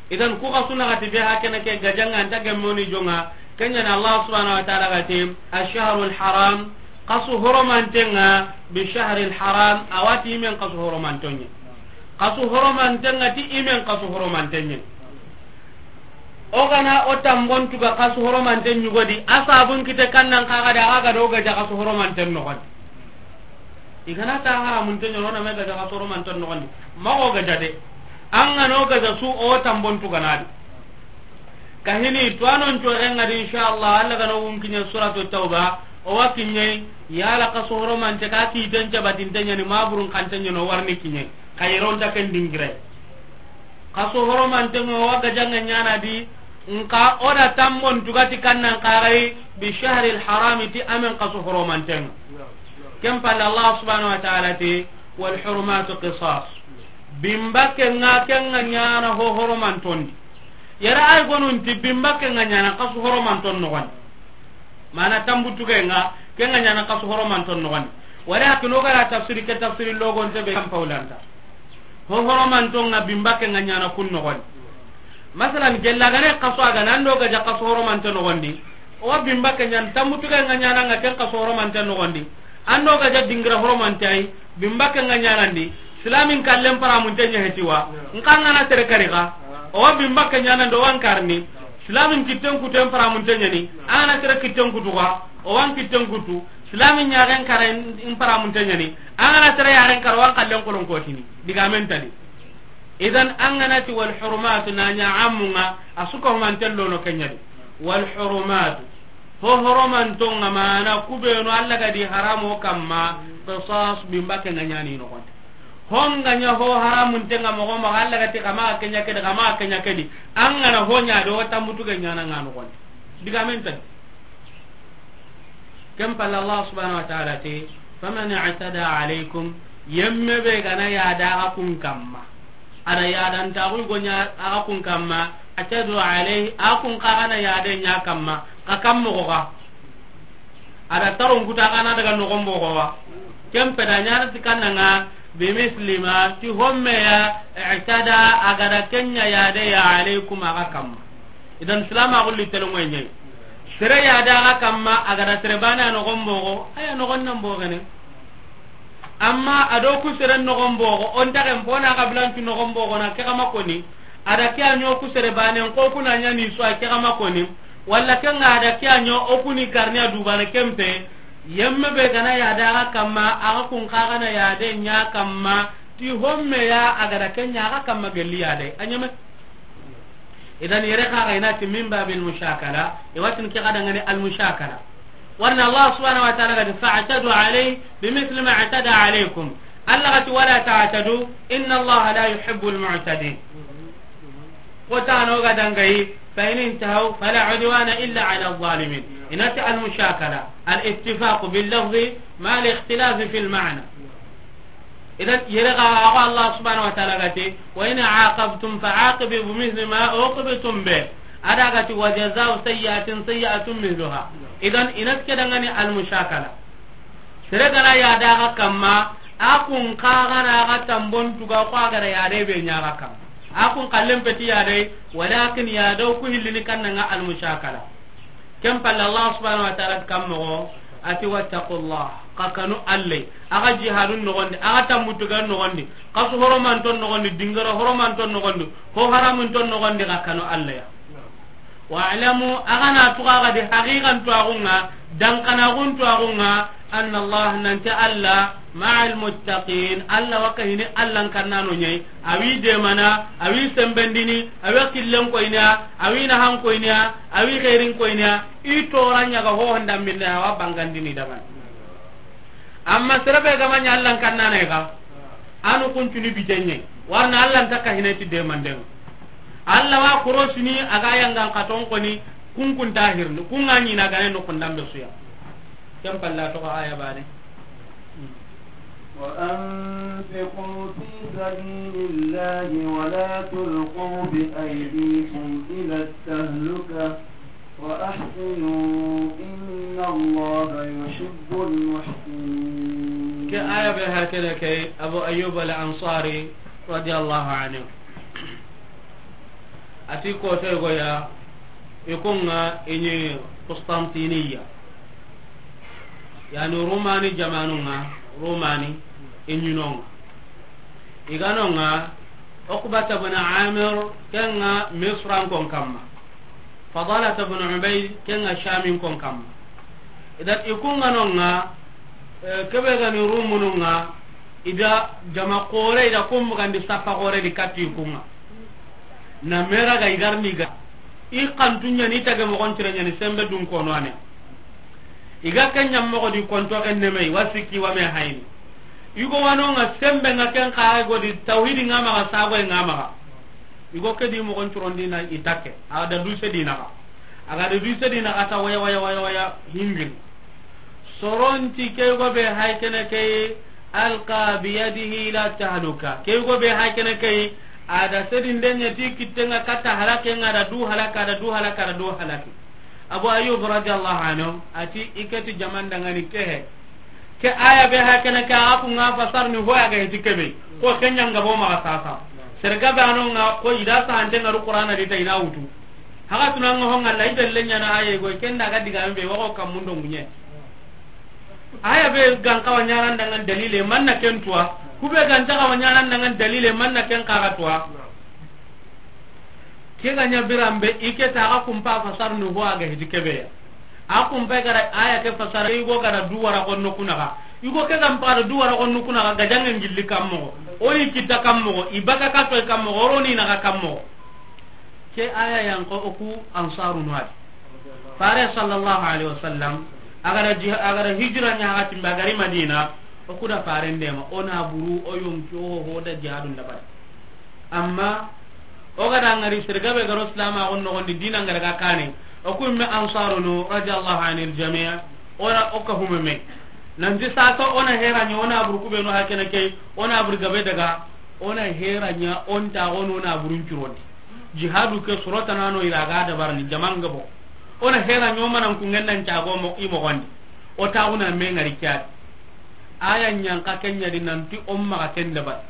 Idan ku xasu naxati be hakene ke gajanga anta gemmoni jonga. Kenyani Allah subhanahu wa ta'ala gati, "Ash-shahrul haram, xasu horomantenga, bi shahril haram, awati imen xasu horomantonye. Xasu horomantenga ti imen xasu horomantenye." O gana o tambon tuga xasu horomanten ɲugodi, a sabun kite kannan kaga da, aga do gaja xasu horomanten noxondi. I gana ta haramunten ɲono na me gaja xasu horomanten noxondi. Maxo gaja de. An gano gaja su o tambon tuganadi. Kahini tuwanon coxengadi, inshallah, Allah gano wun kiɲe suratu Tawba, o wa kiɲe, yala xasu horomante ka kiten cabatinte ɲani, maburun kante ɲano warni kiɲe. Xayironta ken dingire. Xasu horomantengo wa gajanga ɲana di, nka o da tambon tugati kannan kaxay bi shahril harami ti amen xasu horomantengo. Ken palle Allah subhanahu wa ta'ala ti, "Wal hurumatu qisas." Bimbakke nga kenga ɲana ho horomantondi. Yara ay gonunti bimbakke nga ɲana xasu horomanton noxondi. Mana tambutuge nga, ke nga ɲana xasu horomanton noxondi. Wari hakino gara tafsiri ke tafsiri logonte be kan paulanta. Ho horomanton nga bimbakke nga ɲana kun noxondi. Masalan, gella gane xasu aga nan do gaja xasu horomante noxondi. O wa bimbakke ɲana tambutuge nga ɲana nga ken xasu horomante noxondi. An do gaja dingira horomante ay, bimbakke nga ɲanandi, silamin kallen paramunte ɲa heti wa, nka ngana tere kari xa, o wa bimbakke ɲanandi, o wan karni, silamin kitten kuten paramunte ɲani, an gana tere kitten kutu xa, o wan kitten kutu, silamin ɲaxen kara in paramunte ɲani, an gana tere yaxen kara, o wan kallen kolon kotini, digamen tadi. Idan an ga na ti wal hurumatu na ɲa amunga, a su ka humanten lono ke ɲa di. Wal hurumatu, ho horomantonga mana kubenu Alla ga di haramo kamma, qisas, bimba ke nga ɲani noxonte. Ho nga ɲa ho haramuntenga moxo maxa, Alla ga ti xa maxa ke ɲa ke di, xa maxa ke ɲa ke di, an ga na ho ɲa do tambutu ke ɲana nga noxonte. Digamen tadi. Ken palle Allah subhanahu wa ta'ala ti, faman i'tada alaykum, yemme be ga na yada axa kun kamma, a da yadantaxu go ɲa axa kun kamma, i'tadu alayhi, axa kun xa ga na yade ɲa kamma, xa kamma moxo ga. A da taron kuta xa na daga noxon boxo wa. Ken pe da ɲana ti kannanga, bimisli ma, ti homme ya, i'tada, a ga da ken ɲa yade ya, alaykum, axa kamma. Idan silama gulli telongoye ɲayi. Sere yada axa kamma, a ga da sere bane a noxon boxo, a ya noxon nan boxene. Amma a do ku sere noxon boxo, o nta ken fo na xabilantu noxon boxo na ke xa ma koni. A da ke a ɲo ku sere bane, ko ku na ɲa ni su a ke xa ma koni. Walla ke nga a da ke a ɲo o ku ni karni a dubana ken pe. Yemme be ga na yada axa kamma, axa kun xa ga na yade ɲa kamma, ti homme ya a ga da ken ɲa axa kamma gelli yade. A ɲeme. Idan yere xa ga i na ti min babil mushakala, i wa tini ke xa dangani al mushakala. Warna Allah subhanahu wa ta'ala ga ti, fa'tadu alayhi bimithli ma i'tada alaykum. Alla ga ti, wala ta'tadu, inna Allah la yuhibbul mu'tadin. Ko tano ga dangayi, fa in intahaw fala udwana illa ala zalimin. I na ti al mushakala, al ittifaq bil lafzi ma al ikhtilaf fil ma'na. Idan yere ga, axa Allah subhanahu wa ta'ala ga ti, wa in aqabtum fa aqibu bimithli ma uqibtum bi. A da ga ti, wa jaza'u sayyi'atin sayyi'atun mithluha. Idan i na ti ke dangani al mushakala. Sere ga na yada axa kamma, axa kun xa ga na axa tambon tuga ko a ga da yade be ɲa axa kamma. Axa kun xallen peti yade, walakin yado ku hillini kannanga al mushakala. Ken palle Allah subhanahu wa ta'ala kam moxo, a ti, wattaqullah, xa kanu Alla, axa jihadun noxondi, axa tambutugan noxondi, xa su horomanton noxondi, dingara horomanton noxondi, ho haramunton noxondi, xa kanu Alla ya. Wa'lamu, axa na tuxa xa di haqiqan tuwaxunga, dankanaxun tuwaxunga, anna Allah, nanti Alla, ma'al muttaqin, Alla wa kahini Allan kannano ɲayi, a wi demana, a wi sembendini, a wi killen koyniya, a wi nahan koyniya, a wi xeerin koyniya, i toran ɲa ga ho honda minne, a wa bangandini daban. Amma sere be ga ma ɲa Allan kannana ga, anu kuncuni bitenye, warna Allan ta kahine ti demanden. Alla wa korosini a ga yangan katon koni, kunkun tahirni, kun ga ɲi na gane no kundambe suya. Ken palla to aya bane. وأنفقوا في سبيل الله ولا تلقوا بأيديكم إلى التهلكة وأحسنوا إن الله يحب المحسنين. Ke aya be hakene ke Abu Ayyub al-Ansari radiyallahu anhu. Ati kote goya, i kunga i ɲi Constantiniya. Yani Rumani jamanunga, Rumani i ɲinonga. I ganonga Uqbata bin Amir, kenga Misran kon kamma. Fadalata bin Ubayd, kenga Shamin kon kamma. Idan i kunga nonga, eh, kebe gani Rumununga, i da jama kore, i da kumbugandi saffa kore di katti i kunga. Na mera ga i garni ga. I kantunya ni tage mogon tirenya ni sembe dun kono ane. I ga ken ɲam mogo di konto ken neme, i wa sikki wa me hayni. I go wanonga sembe nga ken xa go di tawhidi nga maga, sago nga maga. I go ke di mogon turondi na i takke. A da du se di naga. A ga da du se di naga ta waya, waya, waya, waya, hingin. Soronti ke go be hay kene ke alqa biyadihi ila tahluka. Ke go be hay kene ke a da sedin denya ti kitenga kata halake nga da du halaka, da du halaka, da du halaki. Abu Ayyub radiyallahu anhu ati i ke ti jaman dangani ke he. Ke aya be hay kene ke a ku nga fasar ni hoya ga hiti kebe. Ko kenya nga bo ma sasa. Serga be anonga ko i da sa hante nga ru Qur'ana di ta i na wutu. Haga tunanga honga la i delle ɲana aye go kenda ga diga be wa ko kamundo munye. Aya be gan kawa ɲaran dangan dalile manna ken tuwa. Kube gan ta kawa ɲaran dangan dalile manna ken kaga tuwa. Ke ga ɲa birambe i ke ta ga kumpa fasar nu ho a ga hiti kebe ya. A kumpa ga da aya ke fasar i go ga da duwara ko no kunaga. I go ke ga mpa da duwara ko no kunaga ga jangen gilli kammo. O ni kita kan moxo, i baka ka toy kan moxo, o ro ni naxa kan moxo. Ke aya yan ko o ku Ansarunu a di. Fare sallallahu alaihi wasallam, a ga da jiha-, a ga da hijira ɲa, a ga timbe, a ga ri Madina, o ku da Faren dema, o na buru, o yonki, o ho da jihadun dabari. Amma o ga da ŋari sere gabe ga ro silamaxun noxon di, dina ŋa daga kane, o ku me Ansarunu, radiyallahu anil jami', o na o ka hume me. Nanti sasa o na hera ɲa, o na buru ku be no hakene ke, o na buru gabe daga, o na hera ɲa, o nta o no na burun curondi. Jihadu ke soro tana no i ra ga dabarni jaman gabo. O na hera ɲa, o manan ku ŋennan cago mo i moxon di. O ta o na me ŋari ke ya di. Aya ɲan ka ken ɲa di nanti o maxa ken dabari.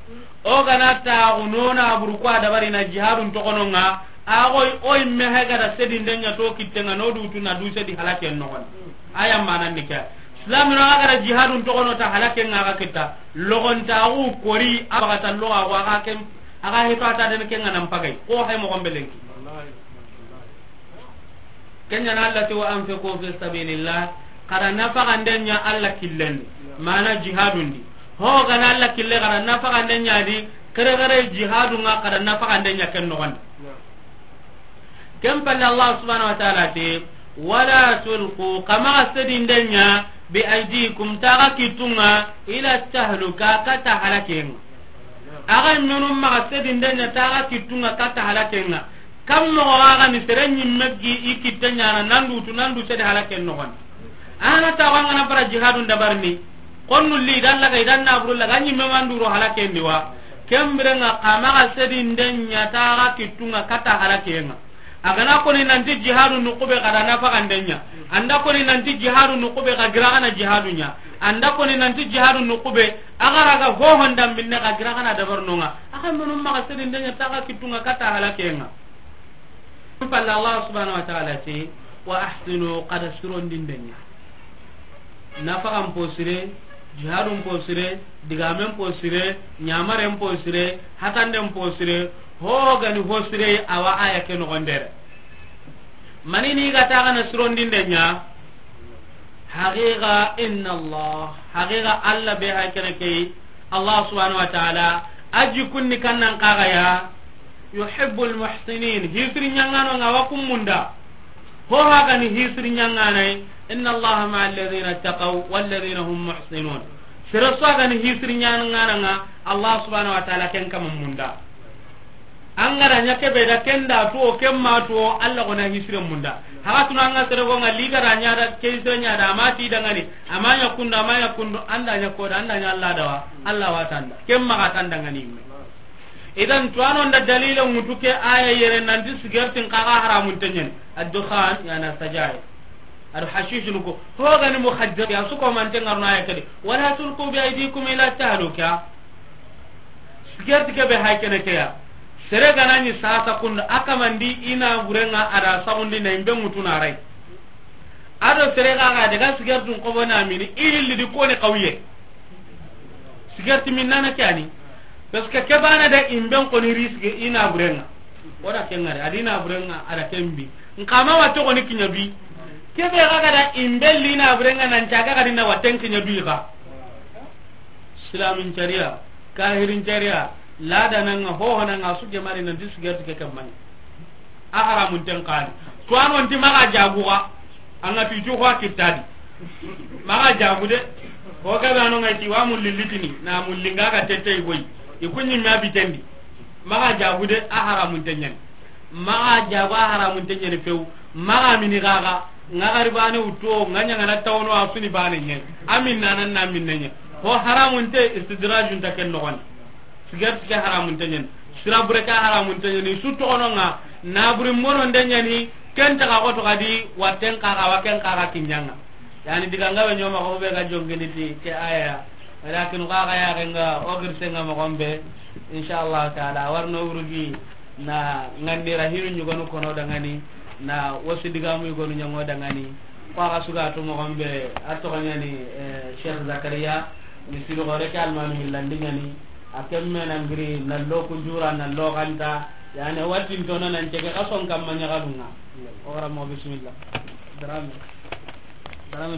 O ga na ta o no na buru ku a dabari na jihadun toxono ŋa, a xoy o i me he ga da sedinde ɲa to kitte ŋa, no du tu na du sedi halaken noxon di. Aya manan ni ke ya. Islam no a ga da jihadun toxono ta halaken ŋa ga kita. Loxon ta o kori a baga ta loxa ko a ga ken, a ga hito a ta den ken ŋa nan pagay. Ko hay moxon be lenki. Ken ɲa na Allah ti: "Wa anfiqu fi sabilillah." Xa da nafaxande ɲa Allah killen di, mana jihadun di. Ho ga na Allah kille, xa da nafaxande ɲa di, kere kere jihadun ŋa, xa da nafaxande ɲa ken noxon di. Ken palle Allah subhanahu wa ta'ala ti: "Wala tulqu," xa maxa sedinde ɲa, "bi aydikum," taxa kittun ŋa, "ila tahluka," kata halaken ŋa. Axa menun maxa sedinde ɲa taxa kittun ŋa kata halaken ŋa. Kam moxo xa ga ni sere ɲimme gi i kitte ɲaana, nan du tu, nan du sedi halaken noxon di. Ana ta wa ŋa na bara jihadun dabarni. Konnu li dan laga, i dan na buru laga, ɲimme man du ro halaken di wa. Ken biren ŋa xa maxa sedinde ɲa taxa kittun ŋa kata halaken ŋa. A ga na koni nanti jihadu nuxu be, xa da nafaxande ɲa. An da koni nanti jihadu nuxu be, xa gira xa na jihadu ɲa. An da koni nanti jihadu nuxu be, a ga ra ga hohon dambinne, xa gira xa na dabarno ŋa. Axa menun maxa sedinde ɲa taxa kittun ŋa kata halaken ŋa. Palle Allah subhanahu wa ta'ala ti: "Wa ahsinu," xa da sirondinde ɲa. Nafaxan po sire, jihadun po sire, digamen po sire, ɲamaren po sire, hatanden po sire, ho ga ni ho sire, awa aya ke noxon di yere. Mani ni ga taxa na sirondinde ɲa? Haqiqa, inna Allah, haqiqa Allah be hay kene ke, Allah subhanahu wa ta'ala, a jikkun ni kannan kaga ya, yuhibbul muhsinin, hisiri ɲaŋano ŋa wa kun munda. Ho ha ga ni hisiri ɲaŋanay, inna Allaha ma'a alladhina taqaw walladhina hum muhsinun. Sere su ga ni hisiri ɲaŋana ŋa, Allah subhanahu wa ta'ala ken kama munda. An ga da ɲa ke be da ken da tuwo, ken ma tuwo, Allah gona hisire munda. Haga tuna an ga sere go ŋa li ga da ɲa da, ke hisire ɲa da, a ma ti dangani, a ma ɲa kundu, a ma ɲa kundu, an da ɲa ko da, an da ɲa Allah da wa, Allah wa tanda. Ken maxa tanda ŋa ni me. Idan, tuwano nda dalila ŋutu ke aya yere nanti sigartin kaga haramun tenyen. Ad-dukhan, yani as-sajair. Ado hashish nuko. Ho ga ni mukhaddir ya su ko man tengar na aya kadi. Wala tulqu bi aydikum ila tahluka. Sigarti ke be hay kene ke ya. Sere ga na ni sasa kundu, a kamandi i naaburen ŋa, a da saxundi na i be ŋutu na ray. Ado sere ga ga daga sigartun xobo na mini, i hilli di koni xawiye. Sigarti min nana ke ani. Parce que ke bana da i be n koni risque i naaburen ŋa. O da ken ŋari, a di naaburen ŋa, a da ken bi. N xa ma wa to koni kiɲa bi. Ke be ga ga da i be li naaburen ŋa nan caga ga di na wa ten kiɲa bi ga. Islamin cariya, kahirin cariya, lada nan ŋa, hoho nan ŋa, su ke mari nanti sigarti ke ke mani. A haramun ten kani. Tuwano nti maxa jagu ga. An ga tutu ko kitta di. Maxa jagu de. Ko ga bano ŋa ti wa mulli litini, na mulli nga ga tete goy. I kunyi ma bitendi. Maxa jagu de, a haramun tenyen. Maxa jagu, a haramun tenyen few. Maxa mini gaga. Nga gari bane wuto, nga ɲaŋana tawno, a suni bane ɲe. Amin nanan na min nenye. Ho haramun te, istidrajun ta ken noxon. Sigarti ke haramun tenyen. Sirabure ke haramun tenyen. Su toxono ŋa, naburi mono ndenyani, ken taga xoto gadi, watten kaga, wa ken kaga kiɲaŋa. Yani diga nga be ɲoma ko be ga jongini ti ke aya. Walakin kaga ya ga nga o girse nga mo gombe. Insha Allah ta'ala, warno urugi na ngandira hiru ɲugonu kono dangani, na wasu digamu ɲugonu ɲango dangani. Ko aga suga to mo gombe, a to ganyani, eh, Sheikh Zakaria, misiru gore ke almanu hillandi ɲani. A kemme na ngiri na lo kunjura na lo ganta, yani watin tono nan cege kason kamma ɲagalunga. O gara mo bismillah. Darame. Darame.